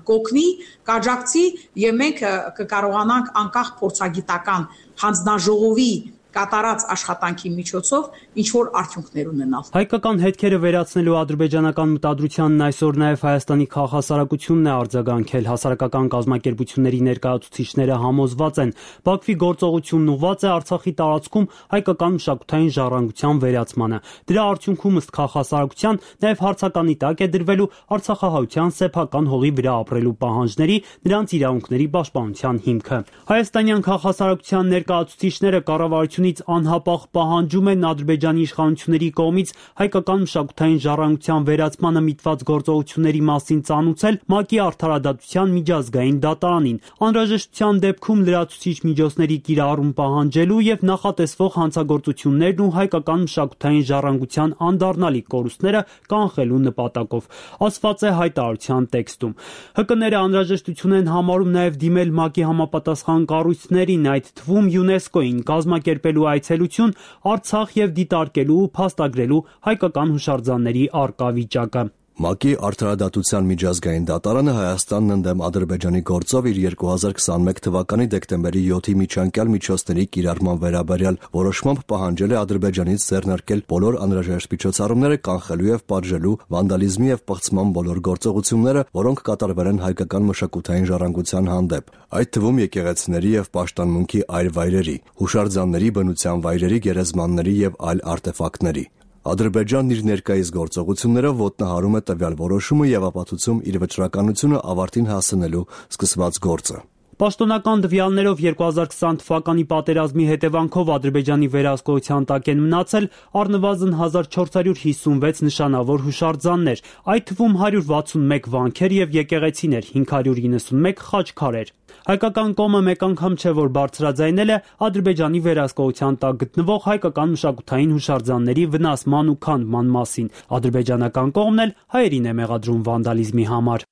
կօգնի, կաջակցի եւ մենք կկարողանանք անկախ փորձագիտական հանձնաժողովի կատարած աշխատանքի միջոցով ինչ որ արդյունքներ ունենալ։
Հայկական հետքերը վերացնելու ադրբեջանական մտադրությանն այսօր նաև Հայաստանի քաղաքասարակությունն է արձագանքել։ Հասարակական կազմակերպությունների ներկայացուցիչները համոզված են, Բաքվի գործողությունն ուղղված է Արցախի տարածքում հայկական մշակութային ժառանգության վերացմանը։ Դրա արդյունքում ըստ քաղաքասարակության նաև հարցականի տակ է դրվելու արցախահայության սեփական հողի վրա ապրելու պահանջների, նրանց իրավունքների պաշտպանության հիմքը։ Հայաստանյան քաղաքասարակության ներկայացուցիչները կառավարություն անհապաղ պահանջում են Ադրբեջանի իշխանությունների կողմից հայկական մշակութային ժառանգության վերացմանը միտված գործողությունների մասին ծանուցել ՄԱԿ-ի արդարադատության միջազգային դատարանին, անհրաժեշտության դեպքում լրացուցիչ միջոցների կիրառում պահանջելու եւ նախատեսվող հանցագործություններն ու հայկական մշակութային ժառանգության անդառնալի կորուստները կանխելու նպատակով, ասված է հայտարարության տեքստում։ ՀԿ-ները անհրաժեշտություն են համարում նաեւ դիմել ՄԱԿ-ի համապատասխան կառույցներին, այդ թվում ՅՈՒՆԵՍԿՕ-ին, կազմակերպել այցելություն Արցախ եւ դիտարկելու ու փաստագրելու հայկական հուշարձանների առկա վիճակը։
ՄԱԿ-ի արդարադատության միջազգային դատարանը Հայաստանն ընդդեմ Ադրբեջանի գործով իր երկու հազար քսաներկու թվականի դեկտեմբերի յոթի միջանկյալ միջոցների կիրառման վերաբերյալ որոշմամբ պահանջել է Ադրբեջանից ձեռնարկել բոլոր անհրաժեշտ միջոցառումները կանխելու եւ պատժելու վանդալիզմի եւ պղծման բոլոր գործողությունները, որոնք կատարվել են հայկական մշակութային ժառանգության հանդեպ, այդ թվում եկեղեցիների եւ պաշտամունքի այլ վայրերի, հուշարձանների, բնության վայրերի, գերեզմանների եւ այլ արտեֆակտների։ Ադրբեջանն իր ներկայիս գործողություններով ոտնահարում է տվյալ որոշումը եւ ապացուցում իր վճռականությունը ավարտին հասցնելու սկսված գործը։
Պաշտոնական տվյալներով երկու հազար քսան թվականի պատերազմի հետևանքով Ադրբեջանի վերահսկողության տակ են մնացել առնվազն հազար չորս հարյուր հիսունվեց նշանավոր հուշարձաններ, այդ թվում հարյուր վաթսունմեկ վանքեր եւ եկեղեցիներ, հինգ հարյուր իննսունմեկ խաչքարեր։ Հայկական կողմը մեկ անգամ չէ, որ բարձրաձայնել է Ադրբեջանի վերահսկողության տակ գտնվող հայկական մշակութային հուշարձանների վնասման ու քանդման մասին։ Ադրբեջանական կողմն էլ հայերին է մեղադրում վանդալիզմի համար։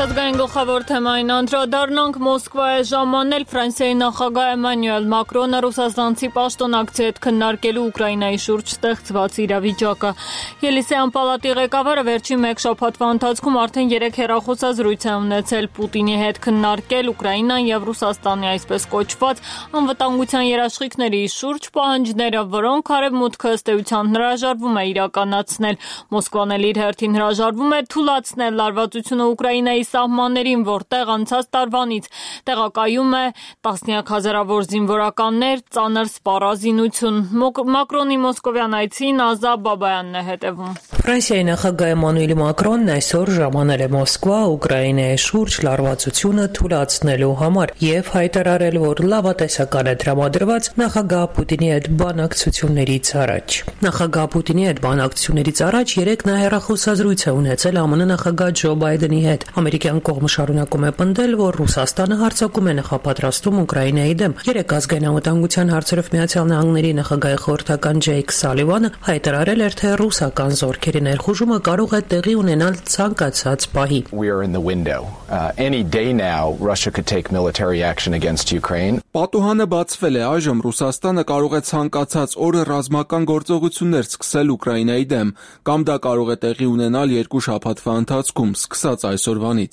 Ազգային գլխավոր թեմային անդրադառնանք Մոսկվա է ժամանել Ֆրանսիայի նախագահ Էմանուել Մակրոնը ռուսաստանցի պաշտոնակցի հետ քննարկելու Ուկրաինայի շուրջ ստեղծված իրավիճակը։ Ելիսեյան պալատի ղեկավարը վերջին մեկ շաբաթվա ընթացքում արդեն երեք հեռախոսազրույց է ունեցել Պուտինի հետ քննարկել Ուկրաինան եւ Ռուսաստանի այսպես կոչված անվտանգության երաշխիքների շուրջ պահանջները, որոնք արևմուտքը ըստ էության հրաժարվում է իրականացնել։ Մոսկվան էլ իր հերթին հրաժարվում է թույլատրել լարվածությունը Ուկրաինայի սահմաններին, որտեղ անցած տարվանից տեղակայում է տասնյակ հազարավոր զինվորականներ, ծանր սպառազինություն։ Մակրոնի մոսկովյան այցին Ազա Բաբայանն է հետևում։
Ֆրանսիայի նախագահ Էմանուել Մակրոնն այսօր ժամանել է Մոսկվա Ուկրաինայի շուրջ լարվածությունը թույլատնելու համար եւ հայտարարել, որ լավատեսական է տրամադրված նախագահ Պուտինի հետ բանակցություններից առաջ։ Նախագահ Պուտինի հետ բանակցություններից առաջ երեք նա հեռախոսազրույց է ունեցել ԱՄՆ նախագահ Ջո Բայդենի հետ։ Ամերիկյան կողմը շարունակում է պնդել, որ Ռուսաստանը հարձակում է նախապատրաստում Ուկրաինայի դեմ։ Երեք ազգային անվտանգության հարցերով Միացյալ Նահանգների նախագահի խորհրդական Ջեյք Սալիվանը հայտարարել էր, թե ռուսական զորքերի ներխուժումը կարող է տեղի ունենալ ցանկացած պահի։
Պատուհանը բացվել է, այժմ Ռուսաստանը կարող է ցանկացած օրը ռազմական գործողություններ սկսել Ուկրաինայի դեմ, կամ դա կարող է տեղի ունենալ երկու շաբաթվա ընթացքում, սկսած այսօրվանից։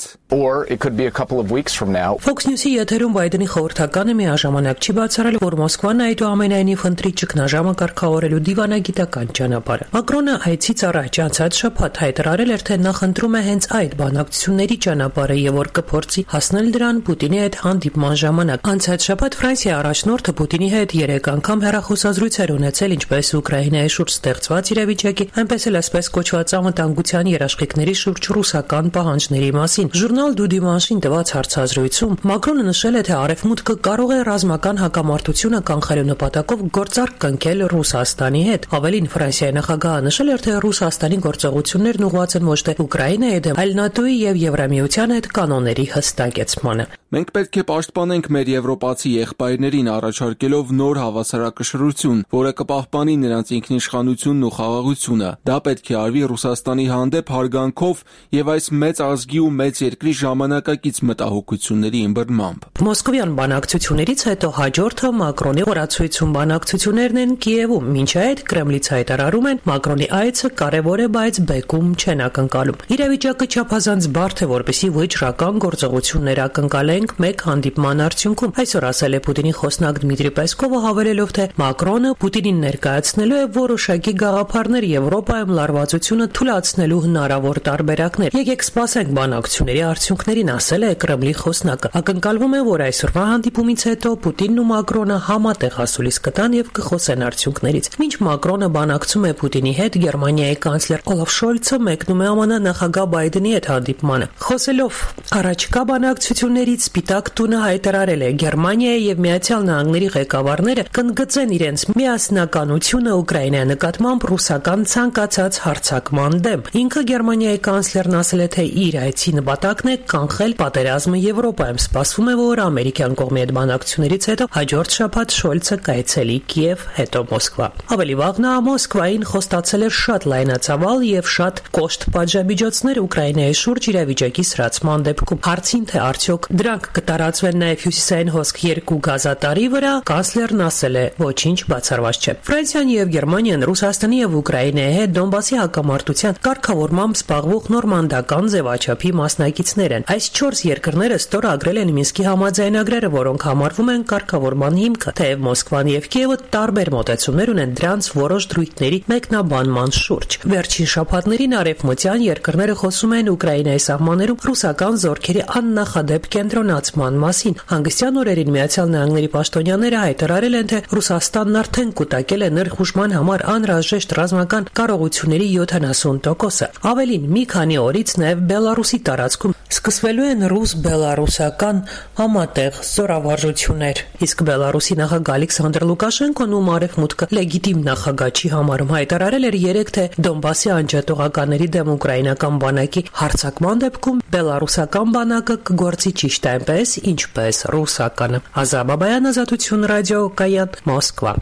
Fox News-ի եթերում Բայդենի խորհրդականը միաժամանակ չի բացառել, որ Մոսկվան այդուամենայնիվ ընտրի ճգնաժամը կարգավորելու դիվանագիտական ճանապարհը։ Մակրոնը այցից առաջ անցած շաբաթ հայտարարել էր, թե նա խնդրում է հենց այդ բանակցությունների ճանապարհը եւ որ կփորձի հասնել դրան Պուտինի հետ հանդիպման ժամանակ։ Անցած շաբաթ Ֆրանսիայի առաջնորդը Պուտինի հետ երեք անգամ հեռախոսազրույց էր ունեցել ինչպես Ուկրաինայի շուրջ ստեղծված իրավիճակի, այնպես էլ այսպես կոչված անվտանգության երաշխիքների շուրջ ռուսական պահանջների մասին։ Ժուրնալ Du Dimanche-ին տված հարցազրույցում Մակրոնը նշել է, թե Արևմուտքը կարող է ռազմական հակամարտությունը կանխելու նպատակով գործարք կնքել Ռուսաստանի հետ։ Ավելին, Ֆրանսիայի նախագահը նշել էր, թե Ռուսաստանի գործողություններն ուղղված են ոչ թե Ուկրաինայի դեմ, այլ ՆԱՏՕ-ի եւ Եվրամիության հետ կանոնների հստակեցմանը։
Մենք պետք է պաշտպանենք մեր եվրոպացի եղբայրներին առաջարկելով նոր հավասարակշռություն, որը կպահպանի նրանց ինքնիշխանությունն ու խաղաղությունը։ Դա պետք է արվի Ռուսաստանի հանդեպ հարգանքով եւ այս մեծ ազգի ու մեծ երկրի ժամանակակից մտահոգությունների ըմբռնմամբ։
Մոսկովյան բանակցություններից հետո հաջորդը Մակրոնի օրացույցում բանակցություններն են Կիևում, մինչ այդ Կրեմլից հայտարարում են Մակրոնի այցը կարևոր է, բայց բեկում չեն ակնկալում։ Իրավիճակը չափազանց բարդ է, որպեսզի վճռական գործողություններ ակնկալեն մեկ հանդիպման արդյունքում։ Այսօր ասել է Պուտինի խոսնակ Դմիտրի Պեսկովը, հավելելով, թե Մակրոնը Պուտինին ներկայացնելու է որոշակի գաղափարներ Եվրոպայում լարվածությունը թույլատնելու հնարավոր տարբերակներ։ Եկեք սպասենք բանակցությունների արդյունքներին, ասել է Կրեմլի խոսնակը։ Ակնկալվում է, որ այսօրվա հանդիպումից հետո Պուտինն ու Մակրոնը համատեղ ասուլիս կտան եւ կխոսեն արդյունքներից։ Մինչ Մակրոնը բանակցում է Պուտինի հետ, Գերմանիայի կանցլեր Օլաֆ Շոլցը մեկնում է ԱՄՆ նախագահ Բայդենի հետ հանդիպմանը։ Խոսելով առաջկա բանակցություններից, Սպիտակ տունը հայտարարել է, Գերմանիայի եւ Միացյալ Նահանգների ղեկավարները կընդգծեն իրենց միասնականությունը Ուկրաինայի նկատմամբ ռուսական ցանկացած հարձակման դեմ։ Ինքը Գերմանիայի կանցլերն ասել է, թե իր այցի նպատակն է կանխել պատերազմը Եվրոպայում։ Սպասվում է, որ ամերիկյան կողմի հետ բանակցություններից հետո հաջորդ շաբաթ Շոլցը կայցելի Կիև, հետո Մոսկվա։ Ավելի վաղ նա Մոսկվային խոստացել էր շատ լայնածավալ եւ շատ կոշտ պատժամիջոցներ Ուկրաինայի շուրջ իրավիճակի սրացման դեպքում։ Հարցին, թե արդյոք դրանք կտարածվեն նաև հյուսիսային հոսք երկու գազատարի վրա, կանցլերն ասել է, ոչինչ բացառված չէ։ Ֆրանսիան եւ Գերմանիան Ռուսաստանի եւ Ուկրաինայի հետ Դոնբասի հակամարտության կարգավորմամբ զբաղվող նորմանդական ձևաչափի մասնակիցներ են։ Այս չորս երկրները ստորագրել են Մինսկի համաձայնագրերը, որոնք համարվում են կարգավորման հիմքը, թեև Մոսկվան եւ Կիևը տարբեր մոտեցումներ ունեն դրանց որոշ դրույթների մեկնաբանման շուրջ։ Վերջին շաբաթներին արևմտյան երկրները խոսում են Ուկրաինայի սահմաններում ռուսական զորքերի աննախադեպ կենտրոնացման մասին։ Հանգստյան օրերին Միացյալ Նահանգների պաշտոնյաները հայտարարել են, թե Ռուսաստանն արդեն կուտակել է ներխուժման համար անհրաժեշտ ռազմական կարողությունների յոթանասուն տոկոսը։ Ավելին, մի քանի օրից նաև Բելարուսի տարածքում սկսվելու են ռուս-բելարուսական համատեղ զորավարժություններ։ Իսկ Բելարուսի նախագահ Ալեքսանդր Լուկաշենկոն, ում արևմուտքը լեգիտիմ նախագահ չի համարում, հայտարարել էր երեկ, թե Դոնբասի անջատողականների դեմ ուկրաինական բանակի հարձակման դեպքում բելարուսական բանակը կգործի ճիշտ այնպես, ինչպես ռուսականը։ Ազա Բաբայան, Ազատություն ռադիո, Կայան, Մոսկվա։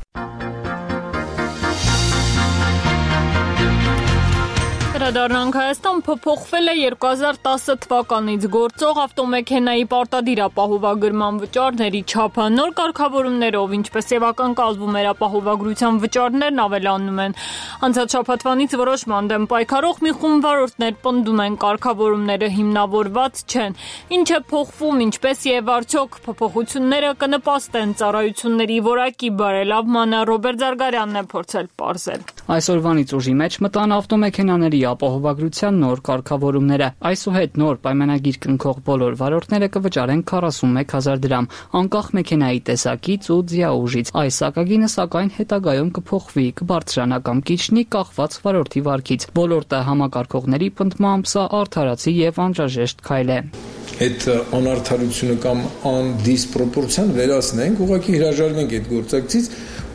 Անդրադառնանք Հայաստան փոփոխվել է երկու հազար տասը թվականից գործող ավտոմեքենայի պարտադիր ապահովագրման վճարների չափը։ Նոր կարգավորումներով, ինչպես եւ ակնկալվում էր, ապահովագրության վճարներն ավելանում են։ Անցած շաբաթվանից որոշման դեմ պայքարող մի խումբ վարորդներ պնդում են, կարգավորումները հիմնավորված չեն։ Ինչ է փոխվում, ինչպես եւ արդյոք փոփոխությունները կնպաստեն ծառայությունների որակի բարելավմանը, Ռոբերտ Զարգարյանն է փորձել պարզել։
Այսօրվանից ուժի մեջ մտան ավտոմեքենաների ապահովագրության նոր կարգավորումները։ Այսուհետ նոր պայմանագիր կնքող բոլոր վարորդները կվճարեն քառասունմեկ հազար դրամ, անկախ մեքենայի տեսակից ու ձիաուժից։ Այս սակագինը սակայն հետագայում կփոխվի, կբարձրանա կամ կիջնի կախված վարորդի վարքից։ Ոլորտը համակարգողների պնդմամբ սա արդարացի եւ անհրաժեշտ քայլ է։
Այդ անարդարությունը կամ անդիսպրոպորցիան վերացնենք, ուղղակի հրաժարվենք այդ գործակցից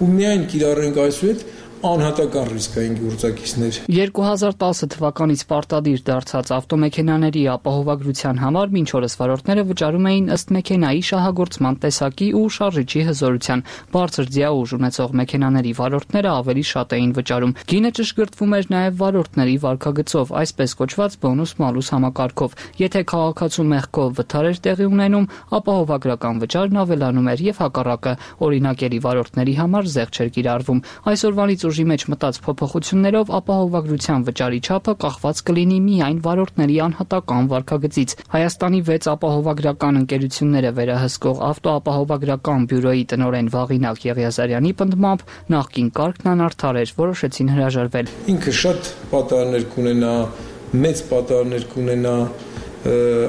ու միայն կիրառենք այսուհետ անհատական ռիսկային գործակիցներ։
երկու հազար տասը թվականից պարտադիր դարձած ավտոմեքենաների ապահովագրության համար մինչ օրս վարորդները վճարում էին ըստ մեքենայի շահագործման տեսակի ու շարժիչի հզորության։ Բարձր ձիաուժ ունեցող մեքենաների վարորդները ավելի շատ էին վճարում։ Գինը ճշգրտվում էր նաև վարորդների վարքագծով, այսպես կոչված բոնուս-մալուս համակարգով։ Եթե քաղաքացու մեղքով վթար էր տեղի ունենում, ապահովագրական վճարն ավելանում էր եւ հակառակը, օրինակելի վարորդների համար զեղչ էր կիրառվում։ Այսօրվանից ուժի մեջ մտած փոփոխություններով ապահովագրության վճարի չափը կախված կլինի միայն վարորդների անհատական վարքագծից։ Հայաստանի վեց ապահովագրական ընկերությունները վերահսկող ավտոապահովագրական բյուրոյի տնօրեն Վաղինակ Եղիազարյանի պնդմամբ նախկին կարգն անարդար էր, որոշեցին հրաժարվել։
Ինքը շատ պատահարներ կունենա, մեծ պատահարներ կունենա,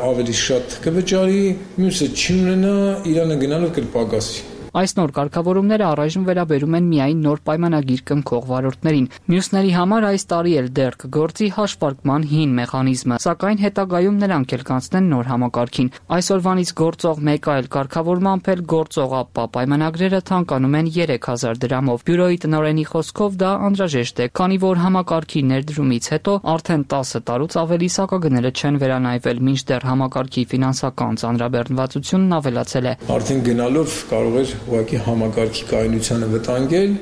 ավելի շատ կվճարի, մյուսը չի ունենա, իրանը գնալով կպակասի։
Այս նոր կարգավորումները առայժմ վերաբերում են միայն նոր պայմանագիր կնքող վարորդներին։ Մյուսների համար այս տարի էլ դեռ կգործի հաշվարկման հին մեխանիզմը, սակայն հետագայում նրանք էլ կանցնեն նոր համակարգին։ Այսօրվանից գործող մեկ այլ կարգավորմամբ էլ գործող ԱՊՊԱ պայմանագրերը թանկանում են երեք հազար դրամով։ Բյուրոյի տնօրենի խոսքով դա անհրաժեշտ է, քանի որ համակարգի ներդրումից հետո արդեն տասը տարուց ավելի սակագները չեն վերանայվել, մինչդեռ համակարգի ֆինանսական ծանրաբեռնվածությունն ավելացել է։
Արդեն գնալով կարող էր ուղղակի համակարգի կայունությանը վտանգել,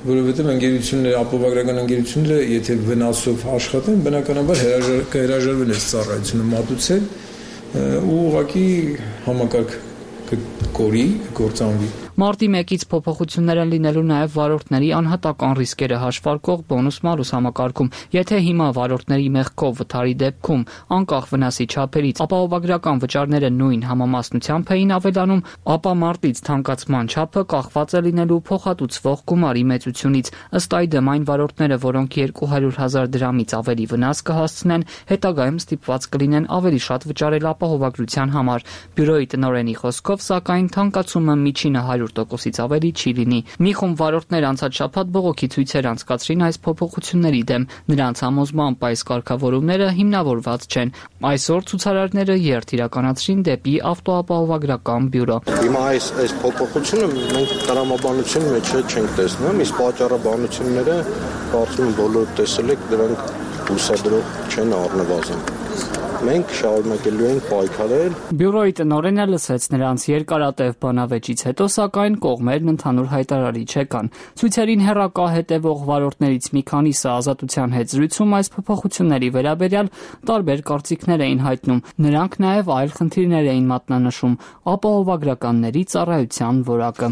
որովհետև ընկերությունները, ապահովագրական ընկերությունները, եթե վնասով աշխատեն, բնականաբար կհրաժարվեն այս ծառայությունը մատուցել ու ուղղակի համակարգ կկորի, կգործանվի։
Մարտի մեկից փոփոխություններ են լինելու նաև վարորդների անհատական ռիսկերը հաշվարկող բոնուս-մալուս համակարգում։ Եթե հիմա վարորդների մեղքով վթարի դեպքում, անկախ վնասի չափերից, ապահովագրական վճարները նույն համամասնությամբ էին ավելանում, ապա մարտից թանկացման չափը կախված է լինելու փոխհատուցվող գումարի մեծությունից։ Ըստ այդմ, այն վարորդները, որոնք երկու հարյուր հազար դրամից ավելի վնաս կհասցնեն, հետագայում ստիպված կլինեն ավելի շատ վճարել ապահովագրության համար։ Բյուրոյի տնօրենի խոսքով, սակայն թանկացումը միջինը հարյուր տոկոսից ավելի չի լինի։ Մի խումբ վարորդներ անցած շաբաթ բողոքի ցույցեր անցկացրին այս փոփոխությունների դեմ։ Նրանց համոզմամբ այս կարգավորումները հիմնավորված չեն։ Այսօր ցուցարարները երթ իրականացրին դեպի ավտոապահովագրական բյուրո։
Հիմա այս այս փոփոխությունը մենք տրամաբանության մեջ չենք տեսնում, իսկ պատճառաբանությունները կարծում եմ բոլորը տեսել եք, դրանք հուսադրող չեն առնվազն։ Մենք շարունակելու ենք պայքարել։
Բյուրոյի տնօրենը լսեց նրանց երկարատև բանավեճից հետո, սակայն կողմերն ընդհանուր հայտարարի չեկան։ Ցույցերին հեռակա հետևող վարորդներից մի քանիսը ազատության հետ զրույցում այս փոփոխությունների վերաբերյալ տարբեր կարծիքներ էին հայտնում։ Նրանք նաև այլ խնդիրներ էին մատնանշում՝ ապահովագրականների ծառայության որակը։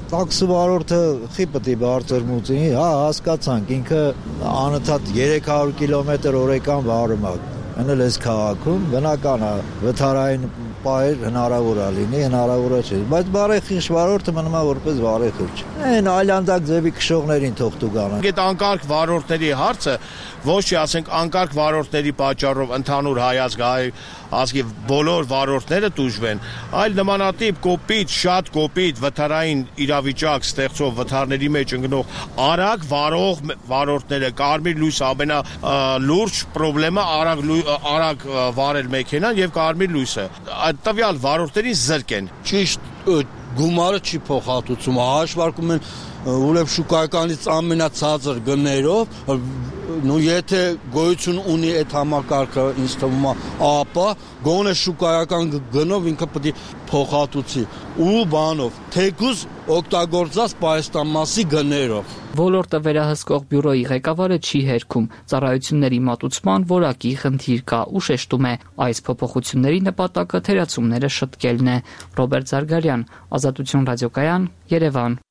Տաքսի վարորդը խի պետք է բարձր մուծի, հա, հասկացանք, ինքը անընդհատ երեք հարյուր կիլոմետր օրեկան վարում է։ Անել այս քաղաքում բնական է վթարային պայր հնարավոր է լինի, հնարավոր չէ, բայց բարեխիղճ վարորդը մնում է որպես բարեխիղճ։ Այն այլանդակ ձևի քշողներին թող տուգան։
Այդ անկարգ վարորդների հարցը ոչ թե ասենք անկարգ վարորդների պատճառով ընդհանուր հայազգայի ազգի բոլոր վարորդները տուժվեն, այլ նմանատիպ կոպիտ, շատ կոպիտ վթարային իրավիճակ ստեղծող վթարների մեջ ընկնող արագ վարող վարորդները, կարմիր լույս ամենա լուրջ խնդրեմը արագ արագ վարել մեքենան եւ կարմիր լույսը։ Այդ տվյալ վարորդներին զրկեն։
Ճիշտ գումարը չի փոխհատուցում, հաշվարկում են ուրեմն շուկայականից ամենացածր գներով, նո եթե գոյություն ունի այդ համակարգը, ինձ թվում է, ապա գոնե շուկայական գնով ինքը պետք է փոխհատուցի ու բանով, թեկուզ օգտագործած պայստամասի գներով։
Ոլորտը վերահսկող բյուրոյի ղեկավարը չի հերքում, ծառայությունների մատուցման որակի խնդիր կա ու շեշտում է, այս փոփոխությունների նպատակը թերացումները շտկելն է։ Ռոբերտ Զարգարյան, Ազատություն ռադիոկայան, Երևան։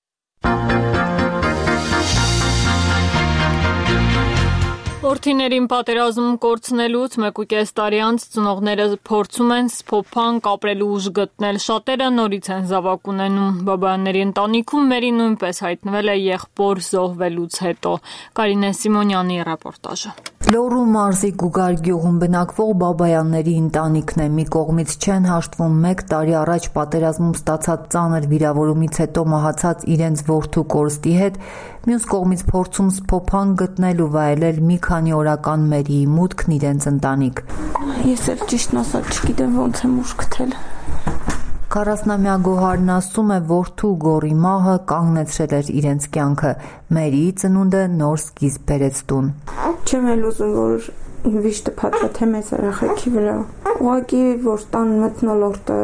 Որդիներին պատերազմ կորցնելուց մեկուկես տարի անց ծնողները փորձում են սփոփանք ապրելու ուժ գտնել, շատերը նորից են զավակ ունենում։ Բաբայանների ընտանիքում Մերի նույնպես հայտնվել է եղբոր զոհվելուց հետո։ Կարինե Սիմոնյանի ռեպորտաժը։
Լոռու մարզի Գուգար գյուղում բնակվող Բաբայանների ընտանիքն է, մի կողմից չեն հաշտվում մեկ տարի առաջ պատերազմում ստացած ծանր վիրավորումից հետո մահացած իրենց որդու կորստի հետ, մյուս կողմից փորձում սփոփանք գտնել ու վայելել մի քանի օրական Մերիի մուտքն իրենց ընտանիք։
Ես էլ ճիշտն ասած չգիտեմ ոնց եմ ուժ գտել։
քառասնամյա Գոհարն ասում է, որդու գոռի մահը կանգնեցրել էր իրենց կյանքը։ Մերիի ծնունդը նոր սկիզբ բերեց տուն։
Չեմ էլ ուզում, որ վիշտը փաթաթե մեծ երեխեքի վրա։ Ուղղակի որ տան մթնոլորտը,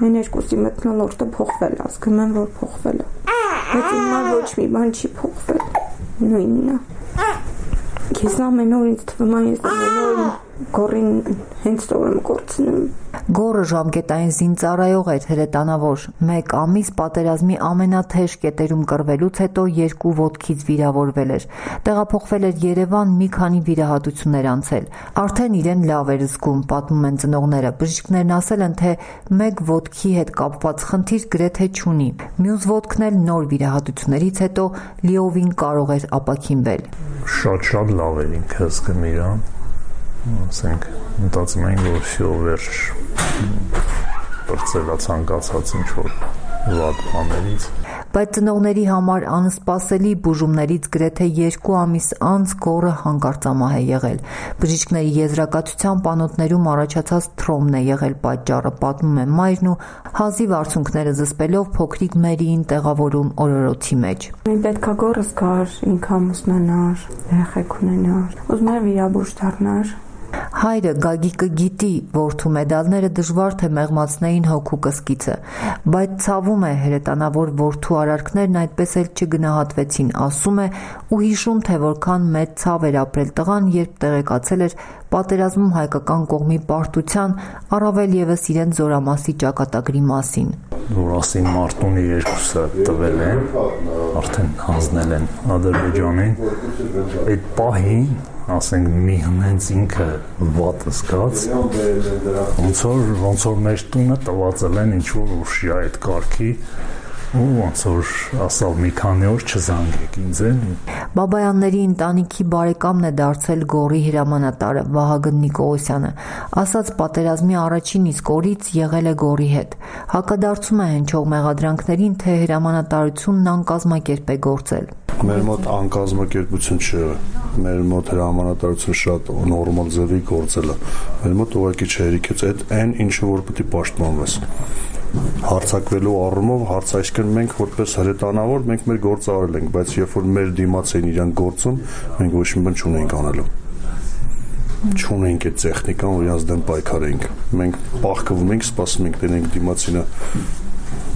այն երկուսի մթնոլորտը փոխվել է, ասում եմ, որ փոխվել է։ Բայց հիմա ոչ մի բան չի փոխվել։ Նույնն է։ Ես ամեն օր ինձ թվում է, ես ամեն օր գոռին հենց տորը կորցնում։
Գոռը ժամկետային զինծառայող էր հրետանավոր։ Մեկ ամիս պատերազմի ամենաթեժ կետերում կռվելուց հետո երկու ոտքից վիրավորվել էր։ Տեղափոխվել էր Երևան, մի քանի վիրահատություններ անցել։ Արդեն իրեն լավ էր զգում, պատմում են ծնողները։ Բժիշկներն ասել են, թե մեկ ոտքի հետ կապված խնդիր գրեթե չունի։ Մյուս ոտքն էլ նոր վիրահատություններից հետո լիովին կարող էր ապաքինվել։
Շատ-շատ լավ էր ինքը զգում իրան։ Ասենք, մտածում ենք, որ շո վերջ բրծելա ցանկացած ինչ-որ
վատ բաներից։
Բայց ծնողների համար անսպասելի բուժումներից գրեթե երկու ամիս անց գոռը հանկարծամահ է եղել։ Բժիշկների եզրակացությամբ անոթներում առաջացած թրոմն է եղել պատճառը, պատմում է մայրն ու հազիվ արցունքները զսպելով փոքրիկ Մերիին տեղավորում օրորոցի մեջ։
Պետք է գոռս գար, ինքը ամուսնանար, երեխեք ունենար, ուզում էր վիրաբույժ դառնար։
Հայրը Գագիկը գիտի որդու մեդալները դժվար թե մեղմացնեին հոգու կսկիցը, բայց ցավում է հրետանավոր որդու արարքներն այդպես էլ չգնահատվեցին, ասում է ու հիշում, թե որքան մեծ ցավ էր ապրել տղան, երբ տեղեկացել էր պատերազմում հայկական կողմի պարտության, առավել ևս իրեն Զորամասի ճակատագրի մասին։
Զորասի մարտունի երկուսը տվել են, արդեն հանձնել են Ադրբեջանին, այդ պահին ասենք մի հենց ինքը վատ զգաց, ոնց որ ոնց որ մեր տունը տվածել են ինչ որ ուշի այդ կարգի ու ոնց որ ասավ մի քանի օր չզանգեք ինձ են։
Բաբայանների ընտանիքի բարեկամն է դարձել գոռի հրամանատարը Վահագն Նիկողոսյանը, ասաց պատերազմի առաջին իսկ օրից եղել է գոռի հետ։ Հակադարձում է հնչող մեղադրանքներին, թե հրամանատարությունն անկազմակերպ է գործել։
Մեր մոտ անկազմակերպություն չէ, մեր մոտ հրամանատարությունը շատ նորմալ ձևի գործել է։ Մեր մոտ ուղղակի չհերիքեց այդ այն ինչը որ պետք է պաշտպանվես։ Հարցակվելու առումով հարց այսքան մենք որպես հրետանավոր մենք մեր գործը արել ենք, բայց երբ որ մեր դիմաց էին իրանք գործում, մենք ոչ մի բան չունենք անելու։ Չունենք այդ տեխնիկան, որ իրանց դեմ պայքարենք։ Մենք պահկվում ենք, սպասում ենք, տենենք դիմացինը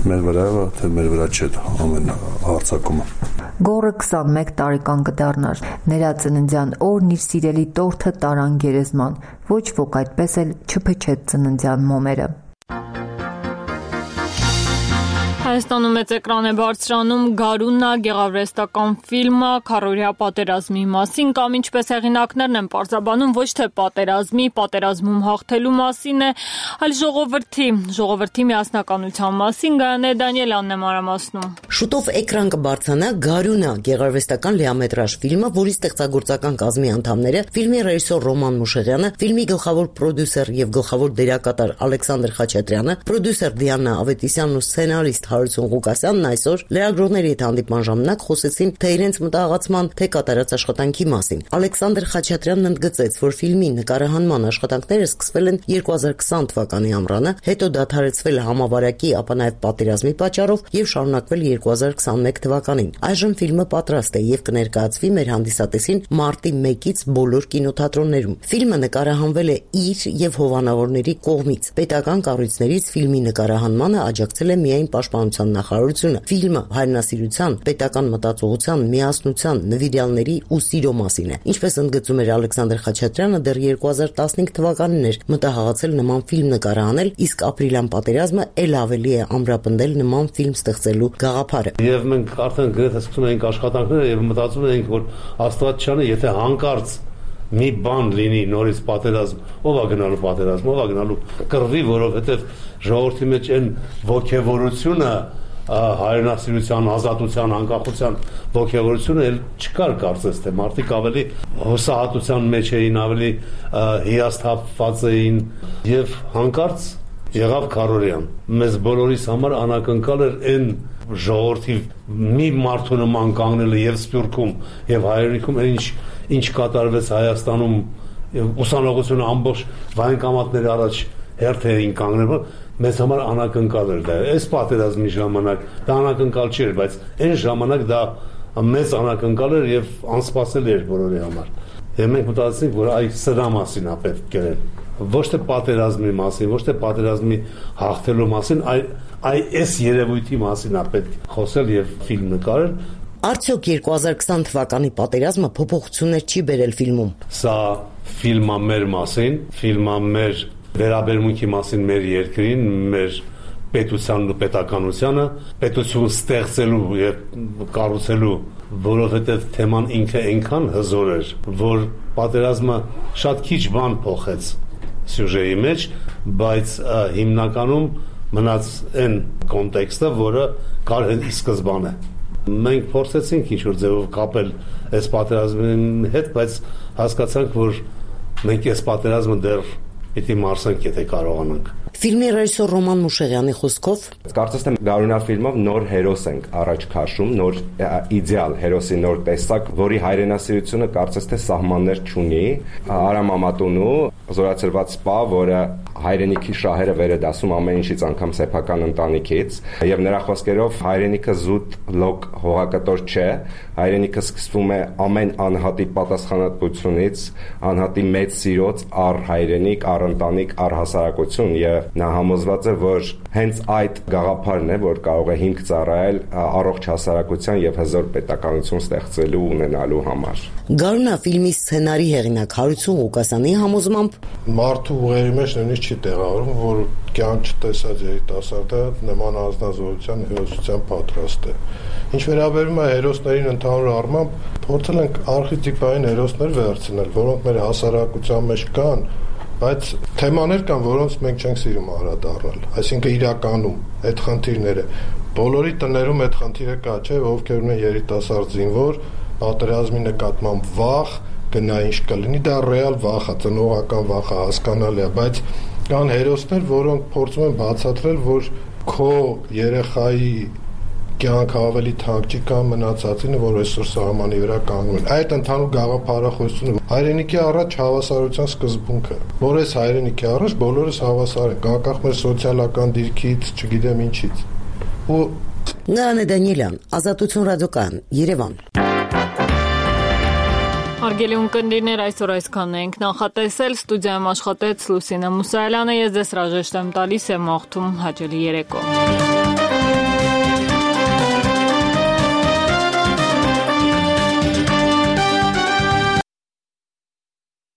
մեր վրա է, թե մեր վրա չէ ամեն հարցակումը։
Գոռը քսանմեկ տարեկան կդառնար։ Նրա ծննդյան օրն իր սիրելի տորթը տարան գերեզման։ Ոչ ոք այդպես էլ չփչեց ծննդյան մոմերը։
Հայաստանում մեծ էկրան է բարձրանում Գարունա գեղարվեստական ֆիլմը քառօրյա պատերազմի մասին, կամ ինչպես հեղինակներն են պարզաբանում, ոչ թե պատերազմի, պատերազմում հաղթելու մասին է, այլ ժողովրդի, ժողովրդի միասնականության մասին։ Գայանե Դանիելյանն է մանրամասնում։
Շուտով էկրան կբարձրանա Գարունա գեղարվեստական լիամետրաժ ֆիլմը, որի ստեղծագործական կազմի անդամները ֆիլմի ռեժիսոր Ռոման Մուշեղյանը, ֆիլմի գլխավոր պրոդյուսեր եւ գլխավոր դերակատար Ալեքսանդր Խաչատրյանը, պրոդյուսեր Դիանա Ավետիսյանն ու սցենարիստ Հարություն Ղուկասյանն այսօր լրագրողների հետ հանդիպման ժամանակ խոսեցին թե իրենց մտահղացման, թե կատարած աշխատանքի մասին։ Ալեքսանդր Խաչատրյանն ընդգծեց, որ ֆիլմի նկարահանման աշխատանքները սկսվել են երկու հազար քսան թվականի ամռանը, հետո դադարեցվել համավարակի, ապա նաև պատերազմի պատճառով եւ շարունակվել երկու հազար քսանմեկ թվականին։ Այժմ ֆիլմը պատրաստ է եւ կներկայացվի մեր հանդիսատեսին մարտի մեկից բոլոր կինոթատրոններում։ Ֆիլմը նկարահանվել է իր եւ հովանավորների կողմից։ Պետական կառույցներից ֆիլմի նկարահանմանը աջակցել է միայն պաշտպանության նախարարությունը։ Ֆիլմը հայրենասիրության, պետական մտածողության, միասնության, նվիրյալների ու սիրո մասին է։ Ինչպես ընդգծում էր Ալեքսանդր Խաչատրյանը, դեռ երկու հազար տասնհինգ թվականին էր մտահղացել նման ֆիլմ նկարահանել, իսկ ապրիլյան պատերազմը ել ավելի է ամրապնդել նման ֆիլմ ստեղծելու գաղափարը։
Եվ մենք արդեն գրեթե սկսում ենք աշխատանքները եւ մտածում ենք, որ Աստված չանի, եթե հանկարծ մի բան լինի նորից պատերազմ, ով է գնալու պատերազմ, ով է գնալու կռվի, որովհետեւ ժողովրդի մեջ այն ոգևորությունը, հայրենասիրության, ազատության, անկախության ոգևորությունը էլ չկար, կարծես թե մարդիկ ավելի հուսահատության մեջ էին, ավելի հիասթափված էին եւ հանկարծ եղավ քառօրյան։ Մեզ բոլորիս համար անակնկալ էր այն ժողովրդի մի մարդու նման կանգնելը եւ Սփյուռքում եւ Հայրենիքում, ինչ ինչ կատարվեց Հայաստանում, ուսանողությունը ամբողջ վայնկամատների առաջ հերթ էին կանգնել, մեզ համար անակնկալ էր դա։ Այս պատերազմի ժամանակ դա անակնկալ չէր, բայց այն ժամանակ դա մեծ անակնկալ էր եւ անսպասելի էր բոլորի համար։ Եվ մենք մտածեցինք, որ այ սրա մասին է պետք գրել։ Ոչ թե պատերազմի մասին, ոչ թե պատերազմի հաղթելու մասին, այլ այ այս երևույթի մասին է պետք խոսել եւ ֆիլմ նկարել։
Արդյոք երկու հազար քսան թվականի պատերազմը փոփոխություններ չի բերել ֆիլմում։
Սա ֆիլմը մեր մասին, ֆիլմը մեր վերաբերմունքի մասին մեր երկրին, մեր պետությանն ու պետականությանը, պետություն ստեղծելու եւ կառուցելու, որովհետեւ թեման ինքը այնքան հզոր էր, որ պատերազմը շատ քիչ բան փոխեց սյուժեի մեջ, բայց հիմնականում մնաց այն կոնտեքստը, որը կար ի սկզբանե։ Մենք փորձեցինք ինչ-որ ձևով կապել այս պատերազմի հետ, բայց հասկացանք, որ մենք այս պատերազմը դեռ Պիտի մարսենք, եթե կարողանանք։
Ֆիլմի ռեժիսոր Ռոման Մուշեղյանի խոսքով
կարծես թե Գարունա ֆիլմով նոր հերոս ենք առաջ քաշում, նոր իդեալ հերոսի նոր տեսակ, որի հայրենասիրությունը կարծես թե սահմաններ չունի։ Արամ Մամատունու զորացրված սպա, որը հայրենիքի շահերը վեր է դասում ամեն ինչից, անգամ սեփական ընտանիքից, եւ նրա խոսքերով հայրենիքը զուտ լոկ հողակտոր չէ, հայրենիքը սկսվում է ամեն անհատի պատասխանատվությունից, անհատի մեծ սիրոց առ հայրենիք, առ ընտանիք, առ հասարակություն, եւ նա համոզված է, որ հենց այդ գաղափարն է, որ կարող է հիմք ծառայել առողջ հասարակության եւ հզոր պետականություն ստեղծելու ունենալու համար։
Գարունա ֆիլմի սցենարի հեղինակ Հարություն Ղուկասյանի համոզմամբ
մարդու ուղերի մեջ նույնիսկ չի տեղավորում, որ կյանք չտեսած երիտասարդը նման անձնազոհության հերոսության պատրաստ է։ Ինչ վերաբերում է հերոսներին ընդհանուր առմամբ, փորձել ենք արխետիպային հերոսներ վերցնել, որոնք մեր հասարակության մեջ կան, բայց թեմաներ կան, որոնց մենք չենք սիրում անդրադառնալ, այսինքն իրականում այդ խնդիրները բոլորի տներում այդ խնդիրը կա, չէ, ովքեր ունեն երիտասարդ զինվոր, պատերազմի նկատմամբ վախ, գնա ինչ կլինի, դա ռեալ վախ է, ծնողական վախ է, հասկանալի է, բայց կան հերոսներ, որոնք փորձում են բացատրել, որ քո երեխայի կյանքը ավելի թանկ չի կամ մնացածինը, որ այսօր սահմանի վրա կանգնում են։ Այդ ընդհանուր գաղափարախոսությունը հայրենիքի առաջ հավասարության սկզբունքը, որ այս հայրենիքի առաջ բոլորս հավասար ենք, անկախ մեր սոցիալական դիրքից, չգիտեմ ինչից։ Ու
Նարինե Դանիելյան, Ազատություն ռադիոկայան, Երևան։
Հարգելի ունկնդիրներ, այսօր այսքանն ենք նախատեսել, ստուդիայում աշխատեց Լուսինե Մուսայելյանը, ես ձեզ հրաժեշտ եմ տալիս, եմ աղթում հաճելի երեկո։